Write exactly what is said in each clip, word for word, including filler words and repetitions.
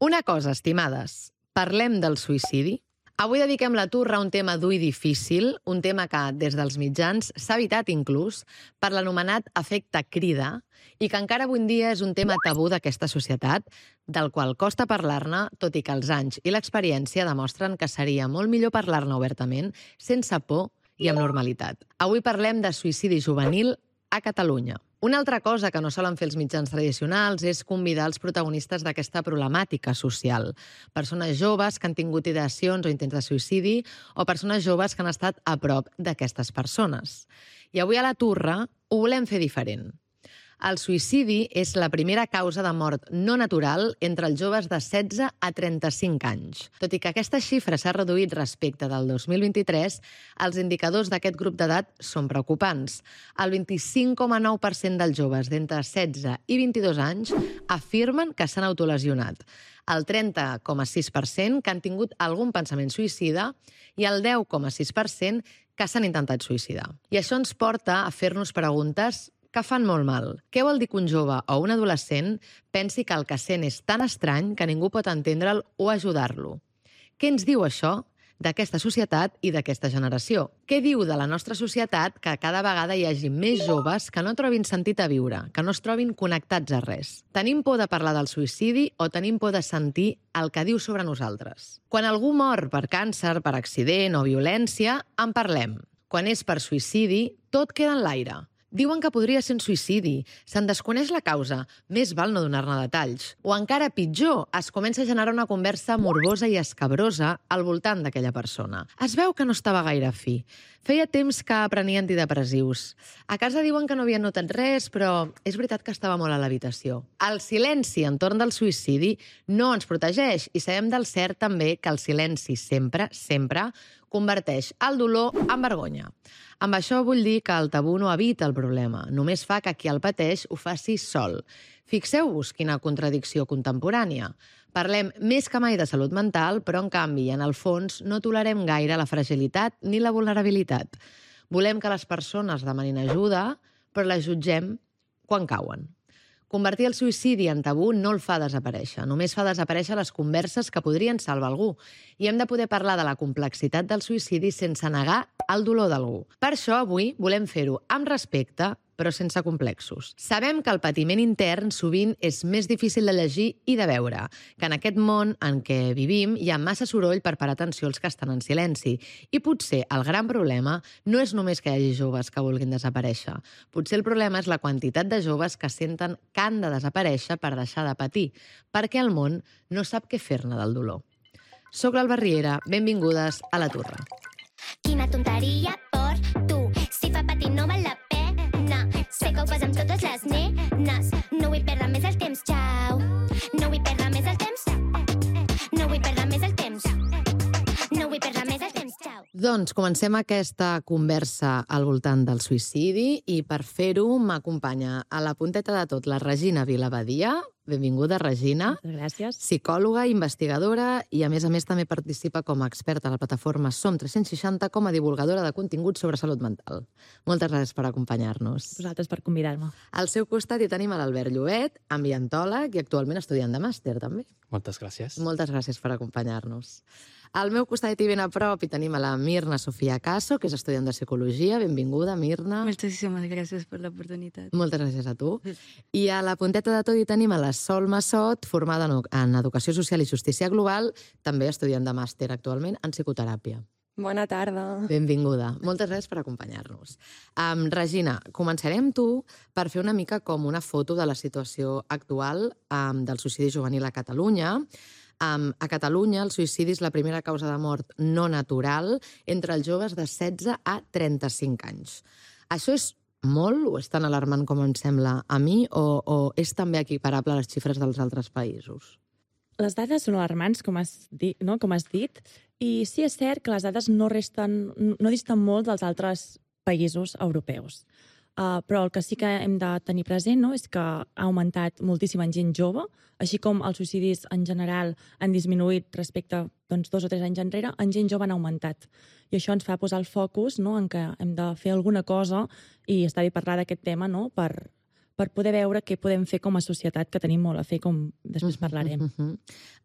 Una cosa, estimades, parlem del suïcidi? Avui dediquem la turra a un tema dur i difícil, un tema que, des dels mitjans, s'ha evitat inclús per l'anomenat efecte crida i que encara avui en dia és un tema tabú d'aquesta societat, del qual costa parlar-ne, tot i que els anys i l'experiència demostren que seria molt millor parlar-ne obertament, sense por i amb normalitat. Avui parlem de suïcidi juvenil a Catalunya. Una altra cosa que no solen fer els mitjans tradicionals és convidar els protagonistes d'aquesta problemàtica social. Persones joves que han tingut ideacions o intents de suïcidi o persones joves que han estat a prop d'aquestes persones. I avui a la turra ho volem fer diferent. El suïcidi és la primera causa de mort no natural entre els joves de setze a trenta-cinc anys. Tot i que aquesta xifra s'ha reduït respecte del dos mil vint-i-tres, els indicadors d'aquest grup d'edat són preocupants. El vint-i-cinc coma nou per cent dels joves d'entre setze i vint-i-dos anys afirmen que s'han autolesionat, el trenta coma sis per cent que han tingut algun pensament suïcida i el deu coma sis per cent que s'han intentat suïcidar. I això ens porta a fer-nos preguntes que fan molt mal. Què vol dir que un jove o un adolescent pensi que el que sent és tan estrany que ningú pot entendre'l o ajudar-lo? Què ens diu això d'aquesta societat i d'aquesta generació? Què diu de la nostra societat que cada vegada hi hagi més joves que no trobin sentit a viure, que no es trobin connectats a res? Tenim por de parlar del suïcidi o tenim por de sentir el que diu sobre nosaltres? Quan algú mor per càncer, per accident o violència, en parlem. Quan és per suïcidi, tot queda en l'aire. Diuen que podria ser un suïcidi, se'n desconeix la causa, més val no donar-ne detalls. O encara pitjor, es comença a generar una conversa morbosa i escabrosa al voltant d'aquella persona. Es veu que no estava gaire fi. Feia temps que prenia antidepressius. A casa diuen que no havien notat res, però és veritat que estava molt a l'habitació. El silenci entorn del suïcidi no ens protegeix i sabem del cert també que el silenci sempre, sempre, converteix el dolor en vergonya. Amb això vull dir que el tabú no evita el problema, només fa que qui el pateix ho faci sol. Fixeu-vos quina contradicció contemporània. Parlem més que mai de salut mental, però en canvi, en el fons, no tolerem gaire la fragilitat ni la vulnerabilitat. Volem que les persones demanin ajuda, però les jutgem quan cauen. Convertir el suïcidi en tabú no el fa desaparèixer, només fa desaparèixer les converses que podrien salvar algú. I hem de poder parlar de la complexitat del suïcidi sense negar el dolor d'algú. Per això avui volem fer-ho amb respecte, però sense complexos. Sabem que el patiment intern sovint és més difícil de llegir i de veure, que en aquest món en què vivim hi ha massa soroll per parar atenció als que estan en silenci. I potser el gran problema no és només que hi hagi joves que vulguin desaparèixer. Potser el problema és la quantitat de joves que senten que han de desaparèixer per deixar de patir, perquè el món no sap què fer-ne del dolor. Soc l'Alba Riera, benvingudes a La Turra. Quina tonteria per tu, si fa patir no val la pena. Sé que ho fas amb totes les nenes. No vull perdre més el temps, xau. No vull perdre més el temps. No vull perdre més el temps. No vull perdre més el temps, xau. Doncs comencem aquesta conversa al voltant del suïcidi i per fer-ho m'acompanya a la punteta de tot la Regina Vilabadia. Benvinguda, Regina. Gràcies. Psicòloga, investigadora i, a més a més, també participa com a experta a la plataforma Som tres-cents seixanta com a divulgadora de continguts sobre salut mental. Moltes gràcies per acompanyar-nos. Vosaltres per convidar-me. Al seu costat hi tenim a l'Albert Llobet, ambientòleg i actualment estudiant de màster, també. Moltes gràcies. Moltes gràcies per acompanyar-nos. Al meu costat i ben a prop hi tenim a la Mirna Sofia Caso, que és estudiant de Psicologia. Benvinguda, Mirna. Moltíssimes gràcies per l'oportunitat. Moltes gràcies a tu. I a la punteta de tot hi tenim a la Sol Massot, formada en Educació Social i Justícia Global, també estudiant de màster actualment en psicoteràpia. Bona tarda. Benvinguda. Moltes gràcies per acompanyar-nos. Um, Regina, començarem tu per fer una mica com una foto de la situació actual um, del suïcidi juvenil a Catalunya. Um, a Catalunya el suïcidi és la primera causa de mort no natural entre els joves de setze a trenta-cinc anys. Això és molt o és tan alarmant com em sembla a mi o, o és també equiparable a les xifres dels altres països? Les dades són alarmants, com has dit, no? com has dit, i sí és cert que les dades no, resten, no disten molt dels altres països europeus. Uh, però el que sí que hem de tenir present, no, és que ha augmentat moltíssim en gent jove, així com els suïcidis en general han disminuït respecte doncs, dos o tres anys enrere, en gent jove han augmentat. I això ens fa posar el focus, no, en què hem de fer alguna cosa i està bé parlar d'aquest tema, no, per, per poder veure què podem fer com a societat, que tenim molt a fer, com després parlarem. Uh -huh.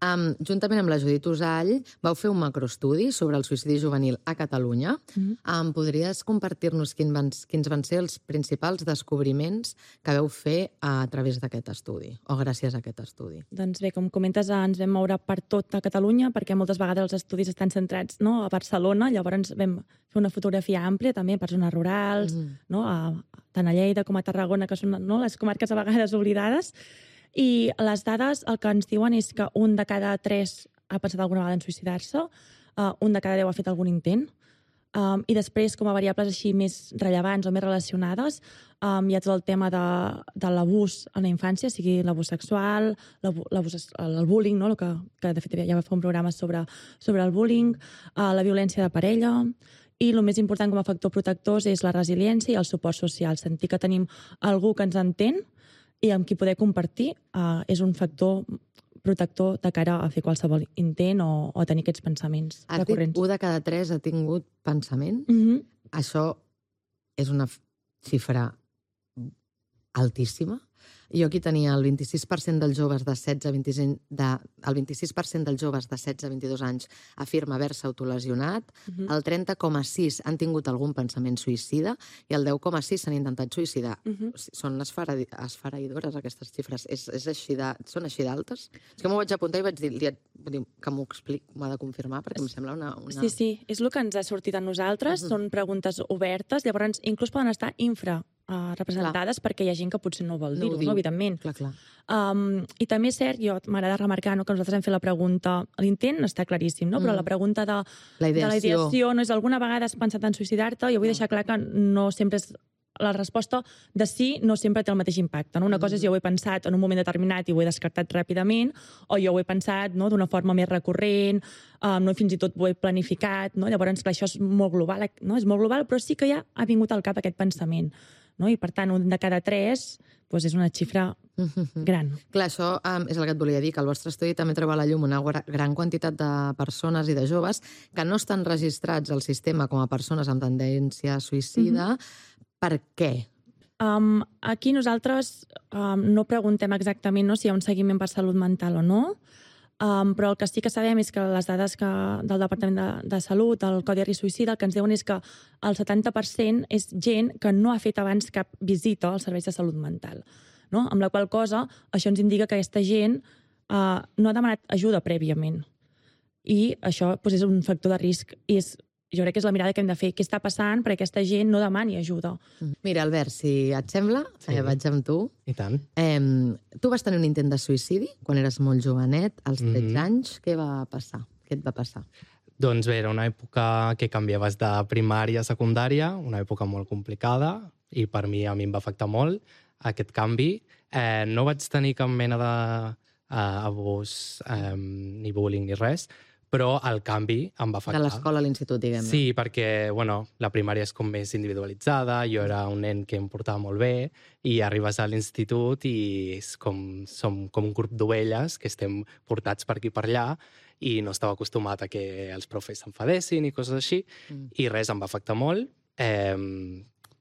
um, juntament amb la Judit Usall vau fer un macroestudi sobre el suïcidi juvenil a Catalunya. Uh -huh. um, podries compartir-nos quin van, quins van ser els principals descobriments que vau fer a través d'aquest estudi, o gràcies a aquest estudi? Doncs bé, com comentes, ens vam moure per tot a Catalunya, perquè moltes vegades els estudis estan centrats, no, a Barcelona, llavors vam fer una fotografia àmplia també per zones rurals, uh -huh. no, a, tant a Lleida com a Tarragona, que són, no, les comarques a vegades oblidades, i les dades el que ens diuen és que un de cada tres ha pensat alguna vegada en suïcidar-se, uh, un de cada deu ha fet algun intent, um, i després, com a variables així més rellevants o més relacionades, um, hi ha tot el tema de, de l'abús en la infància, sigui l'abús sexual, l'abús, el bullying, no? El que, que de fet ja va fer un programa sobre, sobre el bullying, uh, la violència de parella, i el més important com a factor protectors és la resiliència i el suport social. Sentir que tenim algú que ens entén i amb qui poder compartir uh, és un factor protector de cara a fer qualsevol intent o, o tenir aquests pensaments Has recurrents. dit un de cada tres ha tingut pensament? Mm-hmm. Això és una xifra altíssima. Jo aquí tenia el vint-i-sis per cent dels joves de setze a vint-i-cinc, de, el vint-i-sis per cent dels joves de setze a vint-i-dos anys afirma haver-se autolesionat, uh-huh. el trenta coma sis han tingut algun pensament suïcida i el deu coma sis s'han intentat suïcidar. Uh-huh. Són esfereïdores aquestes xifres. És, és així de, són així d'altes? És que m'ho vaig apuntar i vaig dir, dir que m'ho explic, m'ho ha de confirmar, perquè em sembla una... una... Sí, sí, és el que ens ha sortit a nosaltres, uh-huh. són preguntes obertes, llavors inclús poden estar infra Uh, representades clar. Perquè hi ha gent que potser no vol dir-ho, no, no, evidentment. Clar, clar. Um, I també és cert, jo m'agrada remarcar no, que nosaltres hem fet la pregunta, l'intent està claríssim, no? Mm. Però la pregunta de la ideació. de la ideació no és alguna vegada has pensat en suïcidar-te, jo vull deixar clar que no sempre és la resposta de sí no sempre té el mateix impacte. No? Una mm. cosa és jo ho he pensat en un moment determinat i ho he descartat ràpidament, o jo ho he pensat no, d'una forma més recurrent, um, no, fins i tot ho he planificat. No? Llavors, clar, això és molt global, no? És molt global, però sí que ja ha vingut al cap aquest pensament. No? I, per tant, un de cada tres doncs és una xifra gran. Clar, això um, és el que et volia dir, que al vostre estudi també treu a la llum una gran quantitat de persones i de joves que no estan registrats al sistema com a persones amb tendència suïcida. Mm-hmm. Per què? Um, aquí nosaltres um, no preguntem exactament no, si hi ha un seguiment per salut mental o no, Um, però el que sí que sabem és que les dades que, del Departament de, de Salut, el Codi de Risc Suïcida, el que ens diuen és que el setanta per cent és gent que no ha fet abans cap visita als serveis de salut mental. No? Amb la qual cosa, això ens indica que aquesta gent uh, no ha demanat ajuda prèviament. I això doncs, és un factor de risc. I és, jo crec que és la mirada que hem de fer. Què està passant perquè aquesta gent no demani ajuda? Mira, Albert, si et sembla, sí. eh, vaig amb tu. I tant. Eh, tu vas tenir un intent de suïcidi quan eres molt jovenet, als tretze mm-hmm. anys. Què va passar? Què et va passar? Doncs bé, era una època que canviaves de primària a secundària, una època molt complicada, i per mi a mi em va afectar molt aquest canvi. Eh, no vaig tenir cap mena d'abús, eh, ni bullying, ni res, però el canvi em va afectar. De l'escola a l'institut, diguem-ne. Sí, perquè bueno, la primària és com més individualitzada, jo era un nen que em portava molt bé, i arribes a l'institut i és com, som com un grup d'ovelles que estem portats per aquí per allà, i no estava acostumat a que els profes s'enfadessin i coses així, mm. i res, em va afectar molt. Eh,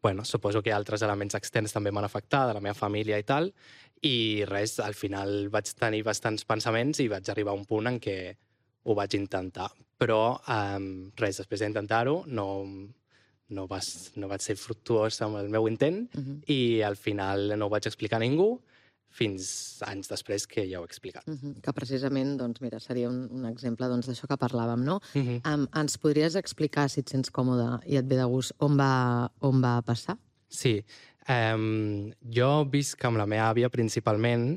bueno, suposo que altres elements externs també m'han afectat, de la meva família i tal, i res, al final vaig tenir bastants pensaments i vaig arribar a un punt en què ho vaig intentar, però um, res, després d'intentar-ho no, no, vas, no vaig ser fructuós amb el meu intent uh-huh. i al final no ho vaig explicar a ningú fins anys després que ja ho he explicat. Uh-huh. Que precisament, doncs, mira, seria un, un exemple doncs, d'això que parlàvem, no? Uh-huh. Um, ens podries explicar, si et sents còmode i et ve de gust, on va, on va passar? Sí. Um, jo visc amb la meva àvia principalment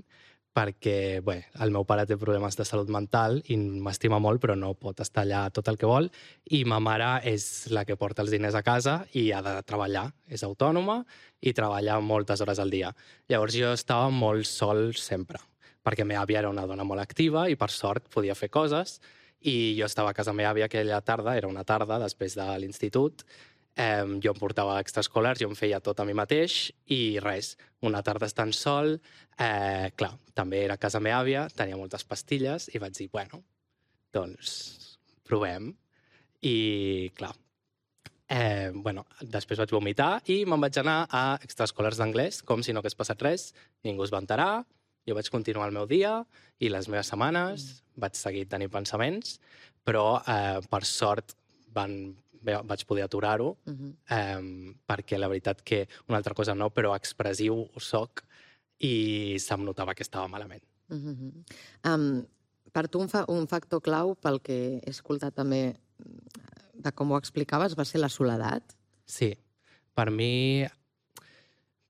perquè bé, el meu pare té problemes de salut mental i m'estima molt, però no pot estar allà tot el que vol, i ma mare és la que porta els diners a casa i ha de treballar. És autònoma i treballa moltes hores al dia. Llavors jo estava molt sol sempre, perquè meva àvia era una dona molt activa i per sort podia fer coses, i jo estava a casa meva àvia aquella tarda, era una tarda després de l'institut. Eh, jo em portava extraescolars, jo em feia tot a mi mateix i res, una tarda estant sol, eh, clar, també era a casa meva àvia, tenia moltes pastilles i vaig dir, bueno, doncs provem. I clar, Eh, bueno, després vaig vomitar i me'n vaig anar a extraescolars d'anglès, com si no hagués passat res, ningú es va enterar, jo vaig continuar el meu dia i les meves setmanes, mm. vaig seguir tenint pensaments, però eh, per sort van, vaig poder aturar-ho, uh -huh. eh, perquè la veritat que una altra cosa no, però expressiu soc i se'm notava que estava malament. Uh -huh. um, per tu un, fa un factor clau, pel que he escoltat també de com ho explicaves, va ser la soledat? Sí. Per mi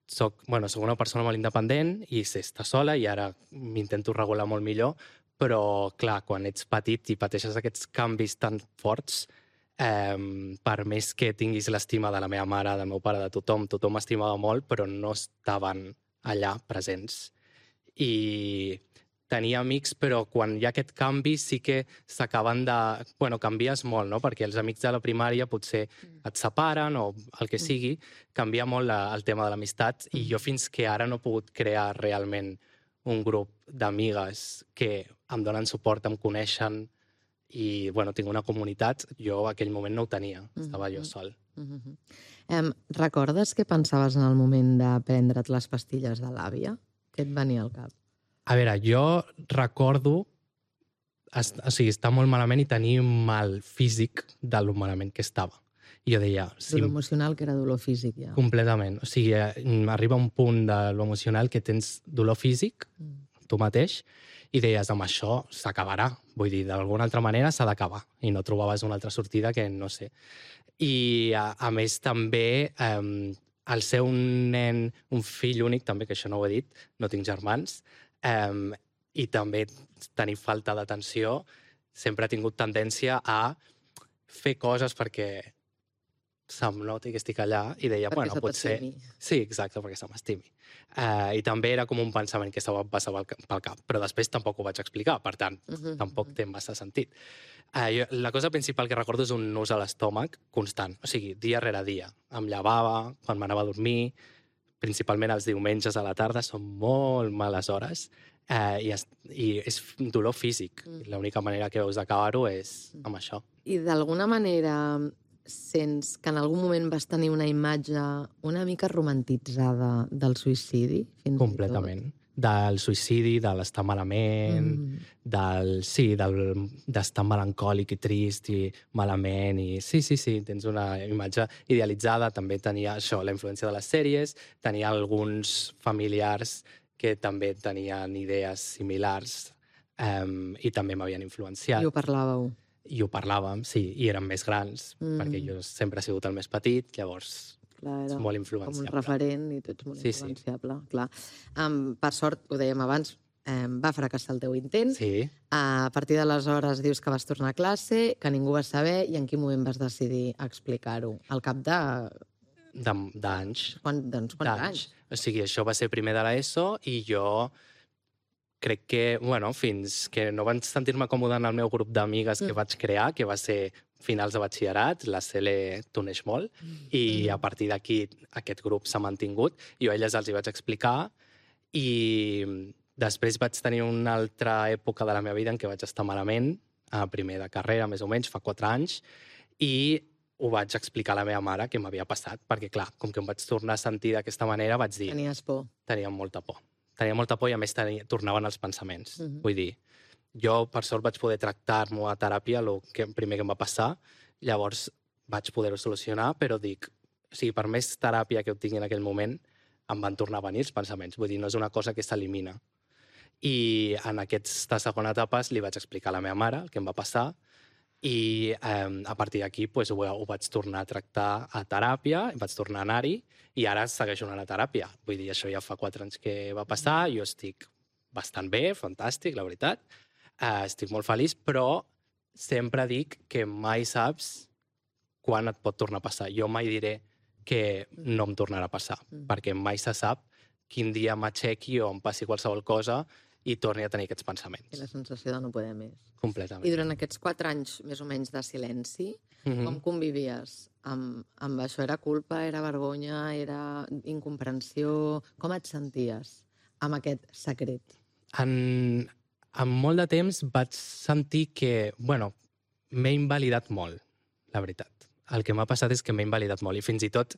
soc, bueno, soc una persona molt independent i sé estar sola i ara m'intento regular molt millor, però, clar, quan ets petit i pateixes aquests canvis tan forts, eh, per més que tinguis l'estima de la meva mare, del meu pare, de tothom, tothom m'estimava molt, però no estaven allà presents. I tenia amics, però quan hi ha aquest canvi sí que s'acaben de... Bueno, canvies molt, no? Perquè els amics de la primària potser et separen o el que sigui, canvia molt la, el tema de l'amistat i jo fins que ara no he pogut crear realment un grup d'amigues que em donen suport, em coneixen i, bueno, tinc una comunitat. Jo en aquell moment no ho tenia, estava jo sol. Uh-huh. um, recordes què pensaves en el moment de prendre't les pastilles de l'àvia? Què et venia al cap? A veure, jo recordo o sigui, estar molt malament i tenir mal físic de lo malament que estava. I jo deia... Si... Dolor emocional, que era dolor físic, ja. Completament. O sigui, arriba un punt de lo emocional que tens dolor físic, mm. tu mateix, i deies, amb això s'acabarà. Vull dir, d'alguna altra manera s'ha d'acabar. I no trobaves una altra sortida que no sé. I, a, a més, també, eh, el ser un nen, un fill únic, també, que això no ho he dit, no tinc germans, eh, i també tenir falta d'atenció, sempre he tingut tendència a fer coses perquè se'm noti que estic allà i deia, perquè bueno, potser... Sí, exacte, perquè se m'estimi. Uh, I també era com un pensament que estava passava pel cap, però després tampoc ho vaig explicar, per tant, uh -huh, tampoc uh -huh. té massa sentit. Uh, jo, la cosa principal que recordo és un nus a l'estómac constant, o sigui, dia rere dia. Em llevava, quan m'anava a dormir, principalment els diumenges a la tarda, són molt males hores, uh, i, es, i és dolor físic. Mm. L'única manera que veus d'acabar-ho és amb això. I d'alguna manera sents que en algun moment vas tenir una imatge una mica romantitzada del suïcidi? Fins Completament. Del suïcidi, de l'estar malament, mm. del, sí, del, d'estar melancòlic i trist i malament. I sí, sí, sí, tens una imatge idealitzada. També tenia això, la influència de les sèries, tenia alguns familiars que també tenien idees similars um, i també m'havien influenciat. I ho parlàveu? I ho parlàvem, sí, i érem més grans, mm. perquè jo sempre he sigut el més petit, llavors clar, és molt influenciable. Com un referent i tu ets molt sí, influenciable. Sí. Clar. Um, per sort, ho dèiem abans, um, va fracassar el teu intent. Sí. Uh, a partir d'aleshores dius que vas tornar a classe, que ningú va saber, i en quin moment vas decidir explicar-ho? Al cap de... d'anys. Quan, doncs quants anys? O sigui, això va ser primer de l'ESO i jo... crec que, bueno, fins que no vaig sentir-me còmode en el meu grup d'amigues mm. que vaig crear, que va ser finals de batxillerat, la Cele t'uneix molt, mm. i a partir d'aquí aquest grup s'ha mantingut. Jo a elles els hi vaig explicar i després vaig tenir una altra època de la meva vida en què vaig estar malament, a primer de carrera, més o menys, fa quatre anys, i ho vaig explicar a la meva mare què m'havia passat, perquè, clar, com que em vaig tornar a sentir d'aquesta manera, vaig dir... Tenies por. Tenia molta por. Tenia molta por i, a més, tenia, tornaven els pensaments. Uh -huh. Vull dir, jo, per sort, vaig poder tractar-m'ho a teràpia, el que, primer que em va passar, llavors vaig poder-ho solucionar, però dic, o sigui, per més teràpia que ho tingui en aquell moment, em van tornar a venir els pensaments. Vull dir, no és una cosa que s'elimina. I en aquesta segona etapa li vaig explicar a la meva mare el que em va passar i eh, a partir d'aquí pues, ho, ho vaig tornar a tractar a teràpia, vaig tornar a anar-hi i ara segueixo anant a teràpia. Vull dir, això ja fa quatre anys que va passar, jo estic bastant bé, fantàstic, la veritat. Eh, estic molt feliç, però sempre dic que mai saps quan et pot tornar a passar. Jo mai diré que no em tornarà a passar, mm. perquè mai se sap quin dia m'aixequi o em passi qualsevol cosa i torni a tenir aquests pensaments. I la sensació de no poder més. Completament. I durant aquests quatre anys, més o menys, de silenci, mm-hmm. com convivies amb, amb això? Era culpa, era vergonya, era incomprensió? Com et senties amb aquest secret? En, en molt de temps vaig sentir que, bueno, m'he invalidat molt, la veritat. el que m'ha passat és que m'he invalidat molt i fins i tot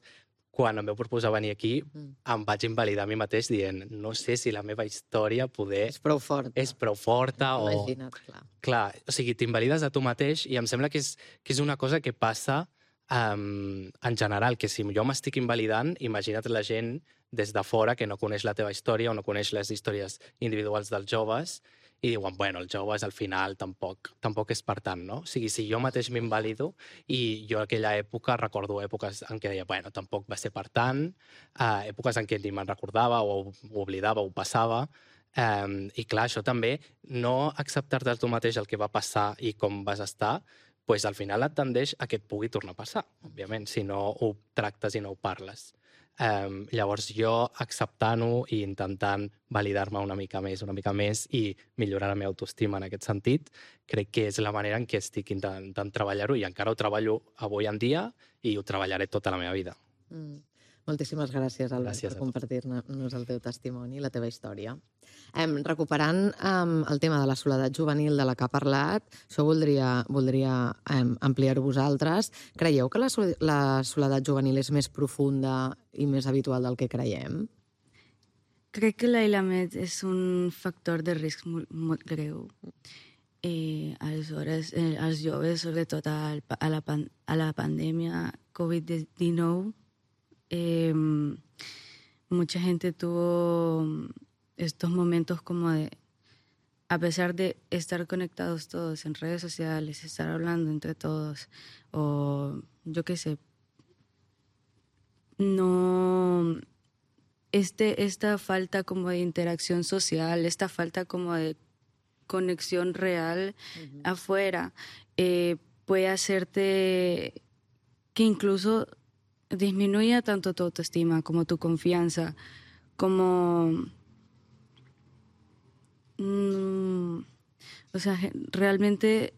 quan em vau proposar venir aquí mm. em vaig invalidar a mi mateix dient no sé si la meva història poder... És prou forta. És prou forta o... Imagina't, clar. Clar, o sigui, t'invalides a tu mateix i em sembla que és, que és una cosa que passa um, en general, que si jo m'estic invalidant, imagina't la gent des de fora que no coneix la teva història o no coneix les històries individuals dels joves i diuen, bueno, els joves al final tampoc, tampoc és per tant, no? O sigui, si jo mateix m'invalido i jo aquella època recordo èpoques en què deia, bueno, tampoc va ser per tant, uh, èpoques en què ni me'n recordava o ho oblidava o ho passava, um, i clar, això també, no acceptar-te a tu mateix el que va passar i com vas estar, pues al final et tendeix a que et pugui tornar a passar, òbviament, si no ho tractes i no ho parles. Um, llavors jo acceptant-ho i intentant validar-me una mica més, una mica més i millorar la meva autoestima en aquest sentit, crec que és la manera en què estic intentant treballar-ho i encara ho treballo avui en dia i ho treballaré tota la meva vida. Mm. Moltíssimes gràcies, Albert, gràcies per compartir-nos el teu testimoni i la teva història. Em, recuperant em, el tema de la soledat juvenil de la que ha parlat, això voldria, voldria em, ampliar-ho vosaltres. Creieu que la, la soledat juvenil és més profunda i més habitual del que creiem? Crec que l'aïllament és un factor de risc molt, molt greu. Eh, aleshores, eh, els joves, sobretot a, a, la, pan, a la pandèmia covid dinou, Eh, mucha gente tuvo estos momentos como de, a pesar de estar conectados todos en redes sociales, estar hablando entre todos, o yo qué sé, no, este, esta falta como de interacción social, esta falta como de conexión real uh-huh. afuera, eh, puede hacerte que incluso disminuya tanto tu autoestima como tu confianza, como... Mmm, o sea, realmente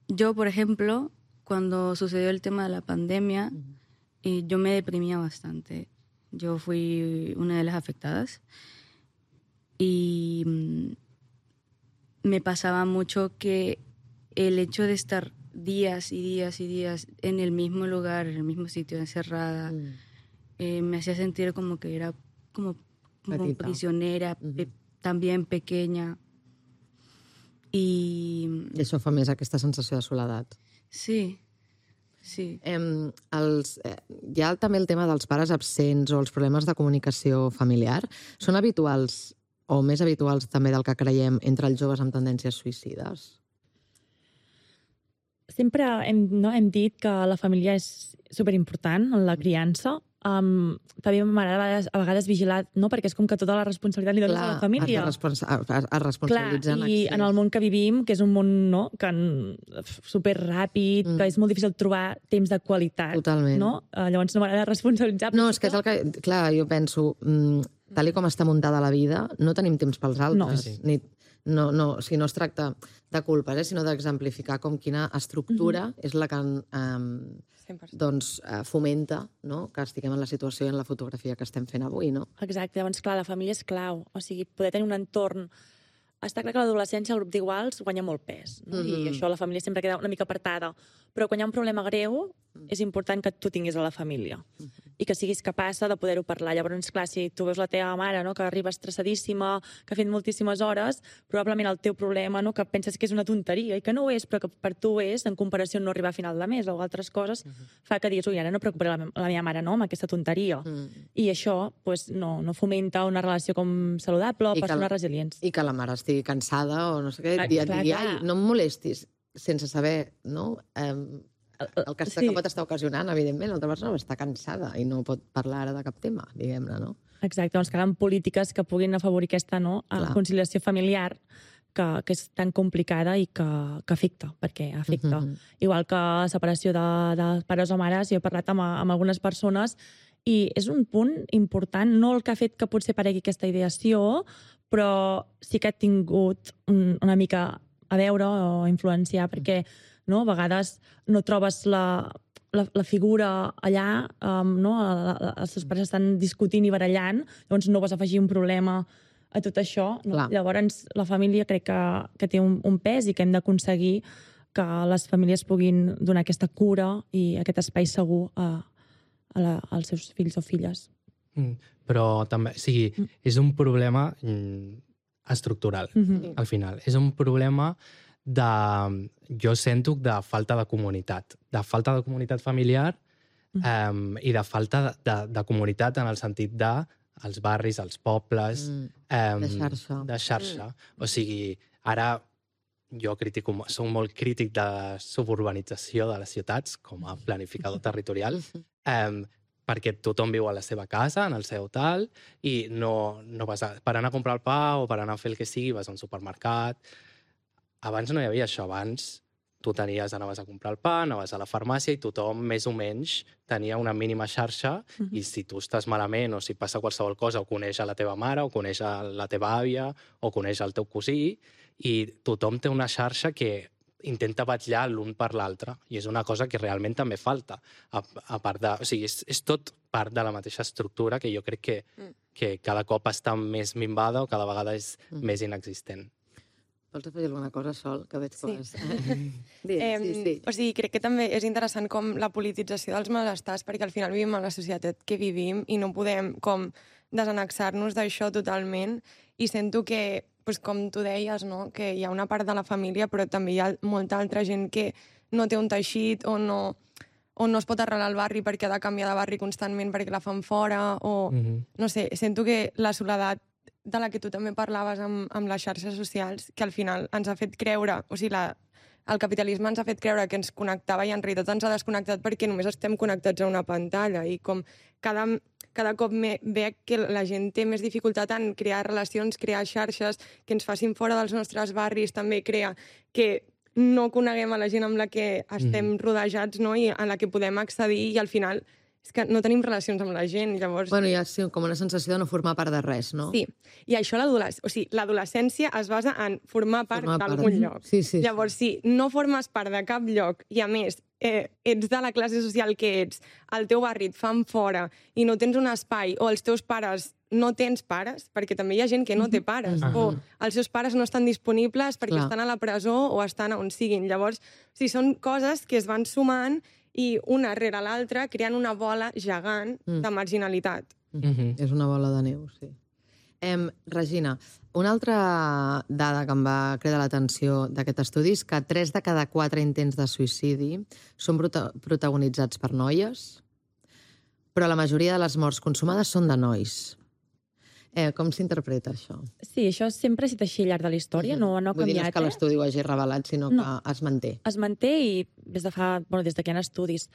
yo, por ejemplo, cuando sucedió el tema de la pandemia, uh-huh. y yo me deprimía bastante. Yo fui una de las afectadas y mmm, me pasaba mucho que el hecho de estar días y días y días en el mismo lugar, en el mismo sitio, encerrada, mm. eh, me hacía sentir como que era como, como prisionera, uh-huh. pe- también pequeña. I... I això fa més aquesta sensació de soledat. Sí, sí. Eh, els, eh, hi ha també el tema dels pares absents o els problemes de comunicació familiar. Són habituals o més habituals també del que creiem entre els joves amb tendències suïcides? Sempre hem, no, hem dit que la família és superimportant en la criança. Um, també m'agrada a vegades, a vegades vigilar, no? Perquè és com que tota la responsabilitat li dones Clar, a la família. es, responsa es, es responsabilitzen. Clar, i en el món que vivim, que és un món no, que superràpid, mm. que és molt difícil trobar temps de qualitat. Totalment. No? Uh, llavors no m'agrada responsabilitzar. No, és que és el que... Clar, jo penso, mm, tal i com està muntada la vida, no tenim temps pels altres. No. Sí. Ni, no, no, o sigui, no es tracta de culpes, eh, sinó d'exemplificar com quina estructura mm-hmm. és la que eh, doncs, eh, fomenta, no?, que estiguem en la situació i en la fotografia que estem fent avui, no? Exacte, llavors, clar, la família és clau. O sigui, poder tenir un entorn... Està clar que a l'adolescència el grup d'iguals guanya molt pes, no? Mm-hmm. I això la família sempre queda una mica apartada. Però quan hi ha un problema greu, és important que tu tinguis a la família mm-hmm. i que siguis capaç de poder-ho parlar. Llavors, clar, si tu veus la teva mare, no?, que arriba estressadíssima, que ha fet moltíssimes hores, probablement el teu problema, no?, que penses que és una tonteria i que no ho és, però que per tu és, en comparació amb no arribar a final de mes o altres coses, mm-hmm. fa que diguis, ui, ara no preocuparé la, la meva mare, no?, amb aquesta tonteria. Mm. I això pues, no, no fomenta una relació com saludable o persones la, resilients. I que la mare estigui cansada o no sé què, dia a dia, no em molestis, sense saber, no?, eh, el que, sí. que pot estar ocasionant, evidentment, l'altra persona està cansada i no pot parlar ara de cap tema, diguem-ne, no? Exacte, doncs calen polítiques que puguin afavorir aquesta no, conciliació familiar que, que és tan complicada i que, que afecta, perquè afecta. Uh-huh. Igual que la separació de, de pares o mares, jo he parlat amb, amb algunes persones i és un punt important, no el que ha fet que potser paregui aquesta ideació, però sí que ha tingut un, una mica a veure o influenciar, perquè no, a vegades no trobes la, la, la figura allà, um, no? Els seus pares estan discutint i barallant, llavors no vas afegir un problema a tot això. No? Llavors la família crec que, que té un, un pes i que hem d'aconseguir que les famílies puguin donar aquesta cura i aquest espai segur a, a la, als seus fills o filles. Mm, però també, o sigui, mm. és un problema mm, estructural, mm-hmm. al final. És un problema de, jo sento, de falta de comunitat, de falta de comunitat familiar mm. um, i de falta de, de, de comunitat en el sentit de els barris, els pobles... Mm. Um, de xarxa. De xarxa. Mm. O sigui, ara jo critico, soc molt crític de la suburbanització de les ciutats com a planificador territorial, um, perquè tothom viu a la seva casa, en el seu tal, i no, no vas a, per anar a comprar el pa o per anar a fer el que sigui, vas a un supermercat. Abans no hi havia això. Abans tu tenies, anaves a comprar el pa, anaves a la farmàcia i tothom, més o menys, tenia una mínima xarxa uh-huh. i si tu estàs malament o si passa qualsevol cosa o coneix a la teva mare o coneix a la teva àvia o coneix el teu cosí i tothom té una xarxa que intenta vetllar l'un per l'altre i és una cosa que realment també falta. A, a part de, o sigui, és, és tot part de la mateixa estructura que jo crec que, mm. que cada cop està més minvada o cada vegada és mm. més inexistent. Vols afegir alguna cosa, Sol? Que veig sí. coses. Digues, eh, sí, sí. O sigui, crec que també és interessant com la politització dels malestars, perquè al final vivim en la societat que vivim i no podem com desanexar-nos d'això totalment. I sento que, pues, com tu deies, no? Que hi ha una part de la família, però també hi ha molta altra gent que no té un teixit o no, o no es pot arrelar al barri perquè ha de canviar de barri constantment perquè la fan fora, o... Mm-hmm. No sé, sento que la soledat de la que tu també parlaves amb, amb les xarxes socials, que al final ens ha fet creure, o sigui, la, el capitalisme ens ha fet creure que ens connectava i en realitat ens ha desconnectat perquè només estem connectats a una pantalla i com cada, cada cop me, veig que la gent té més dificultat en crear relacions, crear xarxes que ens facin fora dels nostres barris, també crea que no coneguem a la gent amb la que estem mm. rodejats, no? I a la que podem accedir i al final és que no tenim relacions amb la gent, llavors... Bueno, hi ha sí, com una sensació de no formar part de res, no? Sí, i això l'adolescència, o sigui, l'adolescència es basa en formar part d'algun lloc. Sí, sí, llavors, si no formes part de cap lloc i, a més, eh, ets de la classe social que ets, al teu barri et fan fora i no tens un espai, o els teus pares no tens pares, perquè també hi ha gent que no té pares, uh-huh. o els seus pares no estan disponibles perquè Clar. estan a la presó o estan on siguin. Llavors, o sigui, són coses que es van sumant i una rere l'altra creant una bola gegant mm. de marginalitat. Mm-hmm. És una bola de neu, sí. Em, Regina, una altra dada que em va cridar l'atenció d'aquest estudi és que tres de cada quatre intents de suïcidi són prota- protagonitzats per noies, però la majoria de les morts consumades són de nois. Eh, com s'interpreta això? Sí, això sempre ha estat així al llarg de la història, no, no ha Vull dir, no canviat. és que l'estudi ho hagi revelat, sinó no. que es manté. Es manté i des de fa, bueno, des de que hi ha estudis.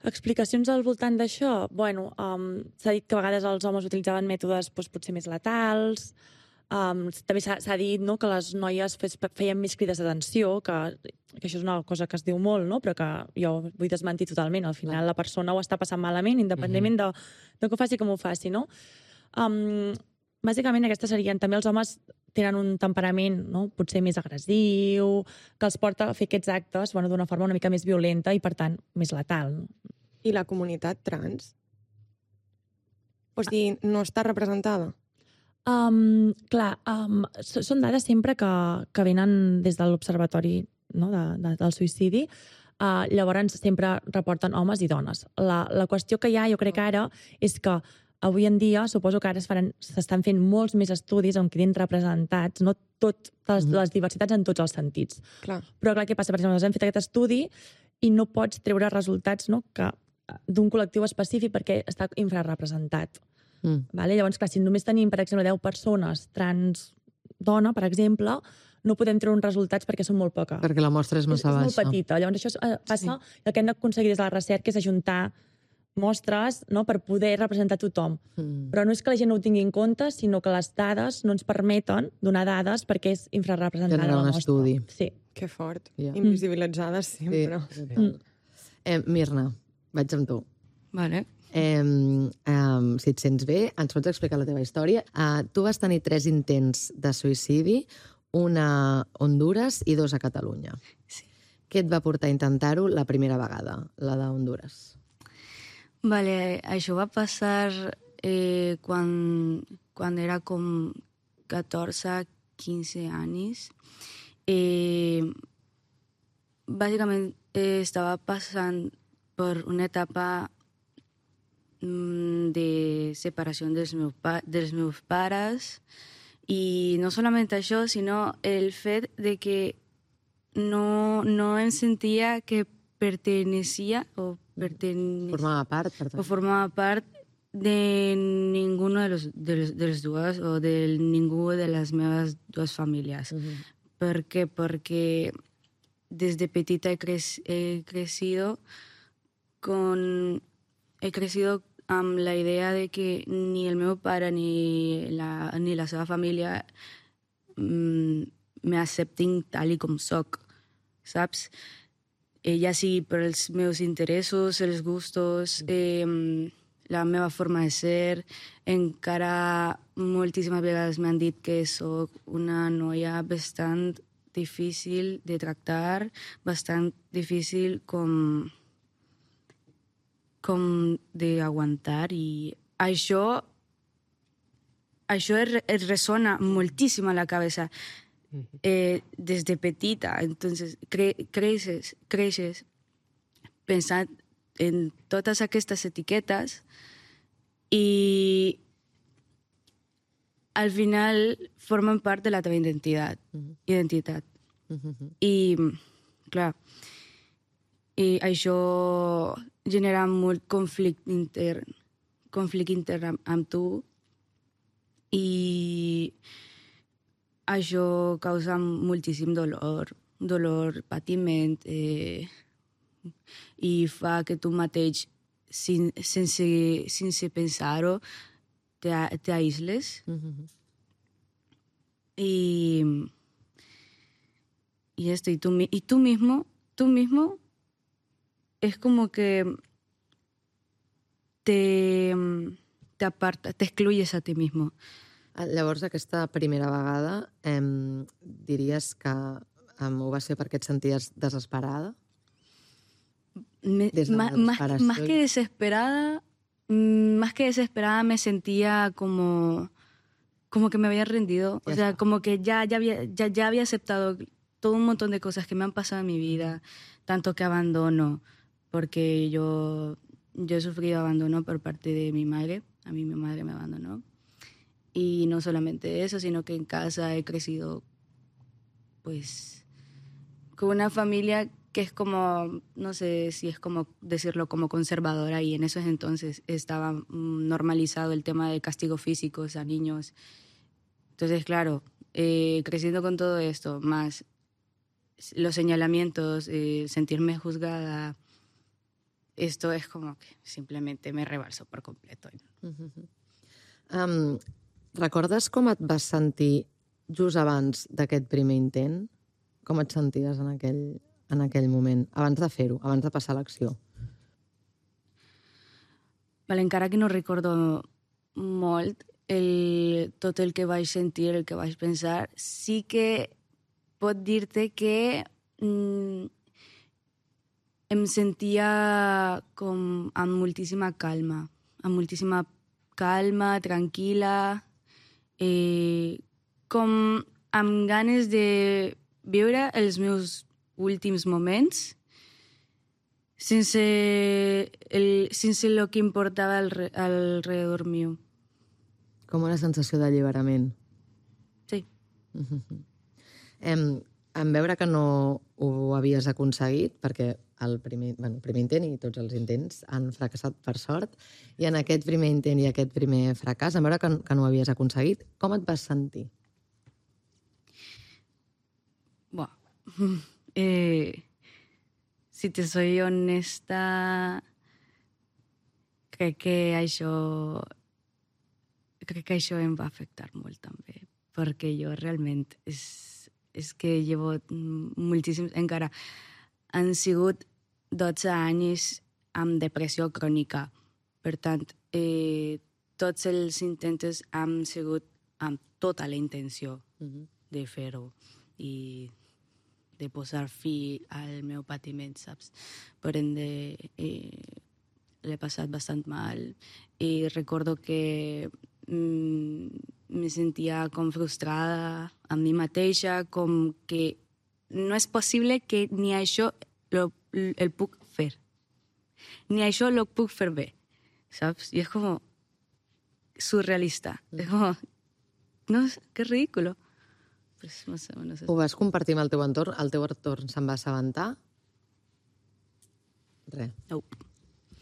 Explicacions al voltant d'això? Bueno, um, s'ha dit que a vegades els homes utilitzaven mètodes doncs, potser més letals. Um, també s'ha, s'ha dit no, que les noies fes, feien més crides d'atenció, que, que això és una cosa que es diu molt, no? Però que jo vull desmentir totalment. Al final la persona ho està passant malament, independentment mm-hmm. de, de que ho faci com ho faci, no? Um, bàsicament aquestes serien, també els homes tenen un temperament no? potser més agressiu, que els porta a fer aquests actes bueno, d'una forma una mica més violenta i per tant més letal. No? I la comunitat trans? O sigui, no està representada? Um, clar, um, són dades sempre que, que venen des de l'Observatori no? de, de, del suïcidi. Uh, llavors sempre reporten homes i dones. La, la qüestió que hi ha, jo crec que ara, és que avui en dia, suposo que ara s'estan fent molts més estudis on quedin representats, no tot, les, les diversitats en tots els sentits. Clar. Però clar, què passa? Per exemple, nosaltres hem fet aquest estudi i no pots treure resultats no, que d'un col·lectiu específic perquè està infrarrepresentat. Mm. Vale? Llavors, clar, si només tenim, per exemple, deu persones trans dona, per exemple, no podem treure uns resultats perquè són molt poques. Perquè la mostra és massa baixa. És molt petita. Llavors, això passa, sí. El que hem d'aconseguir des de la recerca és ajuntar mostres no, per poder representar tothom. Mm. Però no és que la gent no ho tingui en compte, sinó que les dades no ens permeten donar dades perquè és infrarrepresentada la mostra. Estudi. Sí. Que fort. Yeah. Invisibilitzades sempre. Sí. Mm. Eh, Mirna, vaig amb tu. Vale. Eh, eh, si et sents bé, ens pots explicar la teva història. Eh, tu vas tenir tres intents de suïcidi, una a Hondures i dos a Catalunya. Sí. Què et va portar a intentar-ho la primera vegada, la de Hondures? Vale, això va passar eh, quan, quan era com catorze quinze anys. Eh, bàsicament eh, estava passant per una etapa mm, de separació dels meus, pa dels meus pares, i no solament això, sinó el fet de que no, no em sentia que pertenecía o, pertene Formava part, per tant. o formava part de ninguno de los, de los, de los dos o de ningú de les meves dues famílies. Uh -huh. ¿Por qué? Porque desde petita he, cre he crecido con... He crecido amb la idea de que ni el meu pare ni la, ni la seva família mm, m'acceptin tal i com soc, saps? Eh, ja sigui per els meus interessos, els gustos, eh, la meva forma de ser. Encara moltíssimes vegades m'han dit que soc una noia bastant difícil de tractar, bastant difícil com, com d'aguantar, i això, això es ressona moltíssim a la cabeza eh, des de petita. Entonces, cre creixes, creixes pensant en totes aquestes etiquetes i al final formen part de la teva identitat. Uh-huh. identitat. Uh-huh. I, clar, i això genera molt conflicte intern, conflicte intern amb, amb tu, i això causa moltíssim dolor, dolor, patiment, eh, i fa que tu mateix, sin, sense, sense pensar-ho, t'aïsles. Uh-huh. Y, y esto, y tú, y tú mismo, tú mismo, es como que te, te aparta, te excluyes a ti mismo. Llavors, aquesta primera vegada, eh, diries que eh, ho va ser perquè et senties desesperada? Me, Des de la más, más, desesperació. más que desesperada, más que desesperada me sentía como, como que me había rendido. Ya o sea, está. como que ya, ya, había, ya, ya había aceptado todo un montón de cosas que me han pasado en mi vida, tanto que abandono, porque yo, yo he sufrido abandono por parte de mi madre. A mí mi madre me abandonó. Y no solamente eso, sino que en casa he crecido, pues, con una familia que es como, no sé si es como decirlo, como conservadora, y en esos entonces estaba normalizado el tema de castigos físicos a niños. Entonces, claro, eh, creciendo con todo esto, más los señalamientos, eh, sentirme juzgada, esto es como que simplemente me rebalsó por completo. Uh-huh. um, recordes com et vas sentir just abans d'aquest primer intent? Com et senties en aquell, en aquell moment, abans de fer-ho, abans de passar a l'acció? Vale, encara que no recordo molt el, tot el que vaig sentir, el que vaig pensar, sí que pot dir-te que mm, em sentia com amb moltíssima calma, amb moltíssima calma, tranquil·la, eh, com amb ganes de viure els meus últims moments sense, el, sense lo que importava al, alrededor meu. Com una sensació d'alliberament. Sí. Uh-huh. em, en veure que no ho havies aconseguit, perquè el primer, bueno, el primer intent i tots els intents han fracassat per sort, i en aquest primer intent i aquest primer fracàs, en veure que, que no ho havies aconseguit, com et vas sentir? Bueno, eh, si te soy honesta, crec que això crec que això em va afectar molt també, perquè jo realment és, és que llevo moltíssims, encara han sigut dotze anys amb depressió crònica. Per tant, eh, tots els intents han sigut amb tota la intenció uh-huh. de fer-ho i de posar fi al meu patiment, saps? Per ende, eh, l'he passat bastant mal i recordo que mm, me sentia com frustrada amb mi mateixa, com que no és possible que ni això lo, el puc fer. Ni això lo puc fer bé, saps? I és com surrealista. Mm. És com, no, que ridículo. Pues, no sé, no sé. Ho vas compartir amb el teu entorn? El teu entorn se'n va assabentar? Res. No.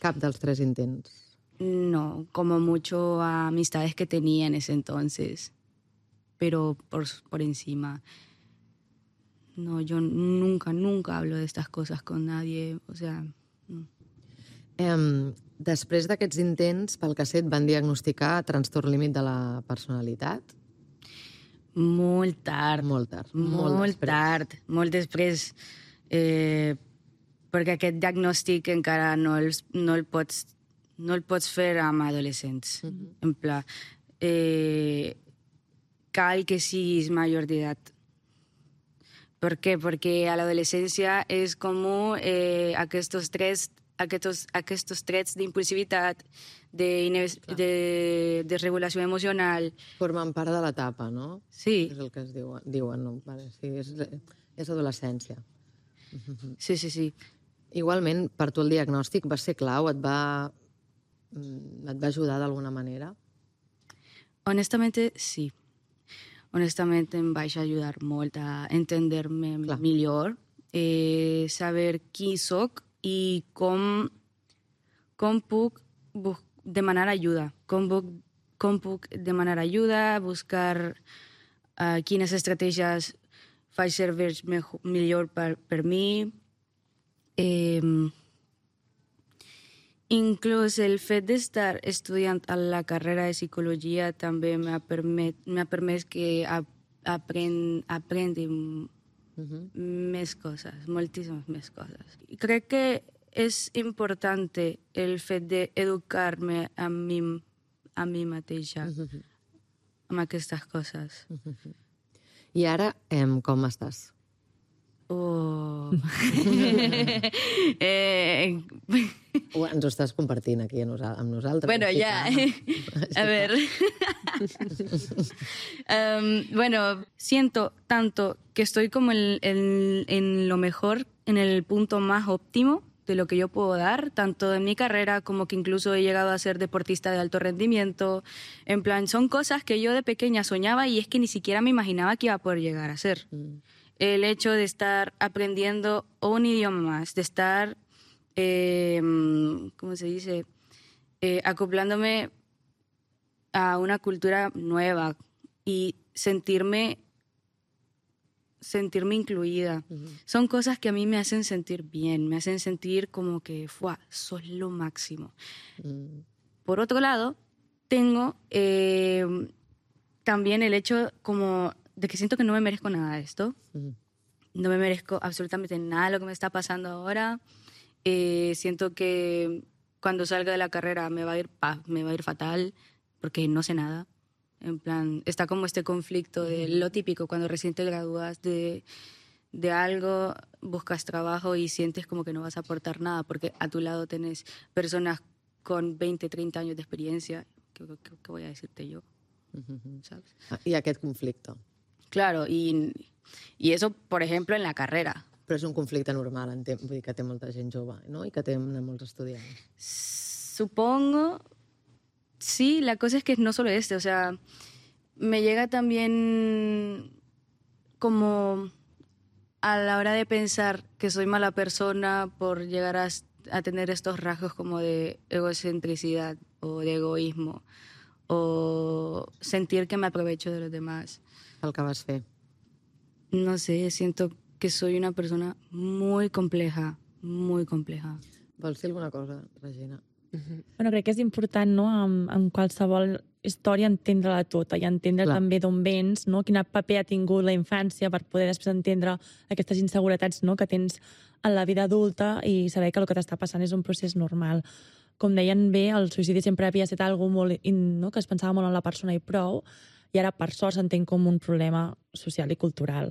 Cap dels tres intents. No, como mucho a amistades que tenía en ese entonces, pero por, por encima. No, yo nunca, nunca hablo de estas cosas con nadie, o sea... No. Eh, després d'aquests intents, pel que sé, et van diagnosticar trastorn límit de la personalitat? Molt tard. Molt tard. Molt, molt tard. Molt després. Eh, perquè aquest diagnòstic encara no el, no el pots no el pots fer amb adolescents. Mm-hmm. En pla, eh, cal que siguis major d'edat. Per què? Perquè a l'adolescència és comú eh, aquests trets, aquests, aquests trets d'impulsivitat, de, de, de regulació emocional. Formen part de l'etapa, no? Sí. És el que es diuen, diuen no? Vale, sí, és, és adolescència. Sí, sí, sí. Igualment, per tu el diagnòstic va ser clau? Et va... et va ajudar d'alguna manera? Honestamente, sí. Honestamente em vaig ajudar molt a entendre-me millor, eh, saber qui soc i com, com puc demanar ajuda. Com puc, com puc demanar ajuda, buscar uh, quines estratègies faig servir millor per, per mi. Eh, Inclús el fet d'estar estudiant a la carrera de psicologia també m'ha permet, m'ha permès que aprend, aprendi uh-huh. més coses, moltíssimes més coses. I crec que és important el fet d'educar-me a mi, a mi mateixa uh-huh. amb aquestes coses. Uh-huh. I ara, em, com estàs? Oh. eh... O ens ho estàs compartint aquí amb nosaltres. Bueno, ya. A ver. um, bueno, siento tanto que estoy como en, en, en lo mejor, en el punto más óptimo de lo que yo puedo dar, tanto en mi carrera como que incluso he llegado a ser deportista de alto rendimiento. En plan, son cosas que yo de pequeña soñaba y es que ni siquiera me imaginaba que iba a poder llegar a ser. Mm. El hecho de estar aprendiendo un idioma más, de estar, eh, ¿cómo se dice? Eh, acoplándome a una cultura nueva y sentirme, sentirme incluida. Uh-huh. Son cosas que a mí me hacen sentir bien, me hacen sentir como que, ¡fua!, sos lo máximo. Uh-huh. Por otro lado, tengo eh, también el hecho como... de que siento que no me merezco nada de esto. Uh-huh. No me merezco absolutamente nada de lo que me está pasando ahora. Eh, siento que cuando salga de la carrera me va a ir, me va a ir fatal porque no sé nada. En plan, está como este conflicto de lo típico cuando recién te gradúas de, de algo, buscas trabajo y sientes como que no vas a aportar nada porque a tu lado tenés personas con veinte, treinta años de experiencia. ¿Qué, qué, qué voy a decirte yo? Uh-huh. ¿Sabes? Y aquest conflicte. Claro, y, y eso, por ejemplo, en la carrera. Però és un conflicte normal, entenc, vull dir que té molta gent jove, ¿no? I que té molts estudiants. Supongo, sí, la cosa es que no solo este, o sea, me llega también como a la hora de pensar que soy mala persona por llegar a, a tener estos rasgos como de egocentricidad o de egoísmo o sentir que me aprovecho de los demás. El que vas fer. No sé, siento que soy una persona muy compleja, muy compleja. Vols dir alguna cosa, Regina? Uh-huh. Bueno, crec que és important, no?, en, en qualsevol història entendre-la tota i entendre Clar. també d'on vens, no?, quin paper ha tingut la infància per poder després entendre aquestes inseguretats, no?, que tens en la vida adulta i saber que el que t'està passant és un procés normal. Com deien bé, el suïcidi sempre havia estat algo molt, no?, que es pensava molt en la persona i prou, i ara, per sort, s'entén com un problema social i cultural,